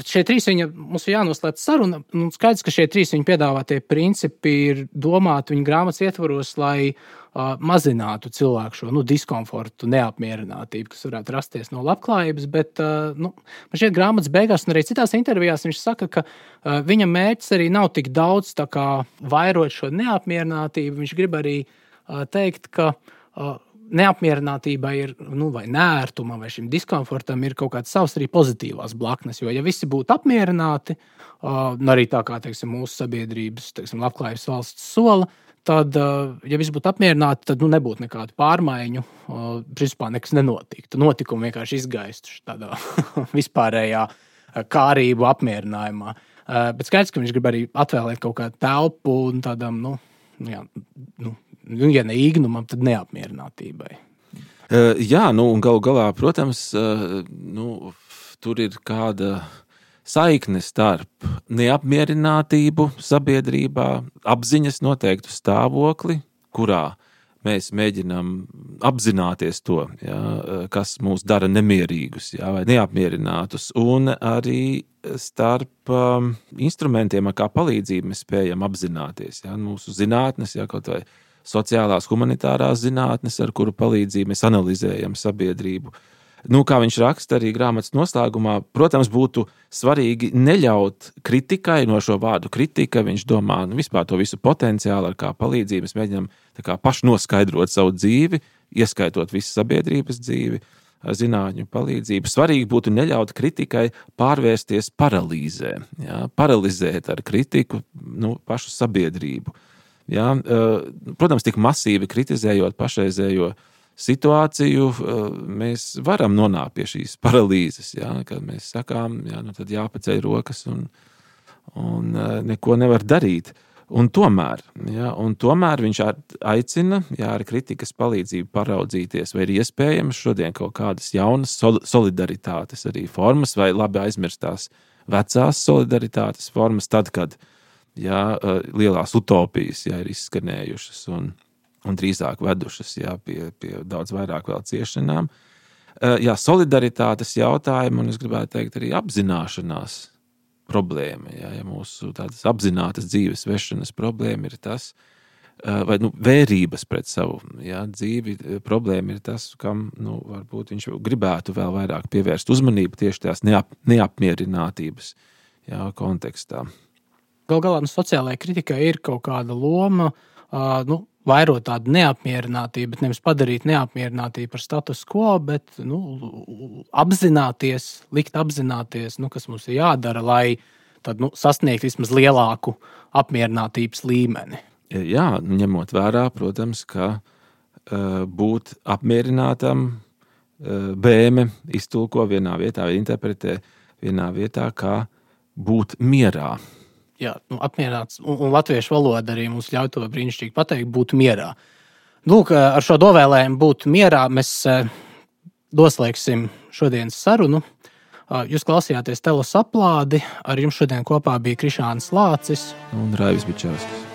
šie trīs mums ir jānoslēdz saruna. Skaidrs, ka šie trīs viņa piedāvātie principi ir domāti viņa grāmatas ietvaros, lai mazinātu cilvēku šo diskomfortu, neapmierinātību, kas varētu rasties no labklājības. Bet man šķiet, grāmatas beigās un arī citās intervijās viņš saka, ka viņa mērķis arī nav tik daudz vairot šo neapmierinātību. Viņš grib arī teikt, ka neapmierinātībai ir, vai nērtumam, vai šim diskomfortam ir kaut kāds savs arī pozitīvās blaknes. Jo, ja visi būtu apmierināti, arī tā kā, mūsu sabiedrības, labklājības valsts sola, tad, ja visi būtu apmierināti, tad nebūtu nekādu pārmaiņu, principā nekas nenotiktu. Notikumi vienkārši izgaistu tādā vispārējā kārību apmierinājumā. Bet skaidrs, ka viņš grib arī atvēlēt kaut kādu telpu un tādam, ja ne īgnumam, tad neapmierinātībai. Jā, un galu galā, protams, tur ir kāda saikne starp neapmierinātību sabiedrībā, apziņas noteiktu stāvokli, kurā mēs mēģinām apzināties to, kas mūs dara nemierīgus, vai neapmierinātus, un arī starp instrumentiem, ar kā palīdzību mēs spējam apzināties. Mūsu zinātnes, kaut vai sociālās humanitārās zinātnes, ar kuru palīdzību mēs analizējam sabiedrību. Kā viņš raksta arī grāmatas noslēgumā, protams, būtu svarīgi neļaut kritikai, no šo vārdu kritika, viņš domā vispār to visu potenciālu, ar kā palīdzību mēs mēģinām paši noskaidrot savu dzīvi, ieskaitot visu sabiedrības dzīvi, ar zinātņu palīdzību. Svarīgi būtu neļaut kritikai pārvērsties paralīzē, paralizēt ar kritiku pašu sabiedrību. Protams, tik masīvi kritizējot pašreizējo situāciju, mēs varam nonākt pie šīs paralīzes, kad mēs sakām, tad jāpaceļ rokas un neko nevar darīt. Un tomēr viņš aicina, ar kritikas palīdzību paraudzīties, vai ir iespējams šodien kaut kādas jaunas solidaritātes arī formas, vai labi aizmirstās vecās solidaritātes formas, tad, kad lielās utopijas ir izskanējušas un drīzāk vedušas pie daudz vairāk vēl ciešanām. Solidaritātes jautājumu, un es gribētu teikt arī apzināšanās problēma. Mūsu tādas apzinātas dzīves vešanas problēma ir tas, vai vērības pret savu dzīvi problēma ir tas, kam varbūt viņš gribētu vēl vairāk pievērst uzmanību tieši tās neapmierinātības kontekstā. Galu galā sociālajai kritikai ir kaut kāda loma, vairot tādu neapmierinātību, bet nevis padarīt neapmierinātību par status quo, bet likt apzināties, kas mums ir jādara, lai tad, sasniegt vismaz lielāku apmierinātības līmeni. Jā, ņemot vērā, protams, ka būt apmierinātam Bēme iztulko vienā vietā vai interpretē vienā vietā, kā būt mierā. Jā, apmierināts, un latviešu valoda arī mums ļauj to brīnišķīgi pateikt, būt mierā. Lūk, ar šo dovēlējumu būt mierā mēs doslēgsim šodienas sarunu. Jūs klausījāties Telos aplādi, ar jums šodien kopā bija Krišāns Lācis un Raivis Bičāvskis.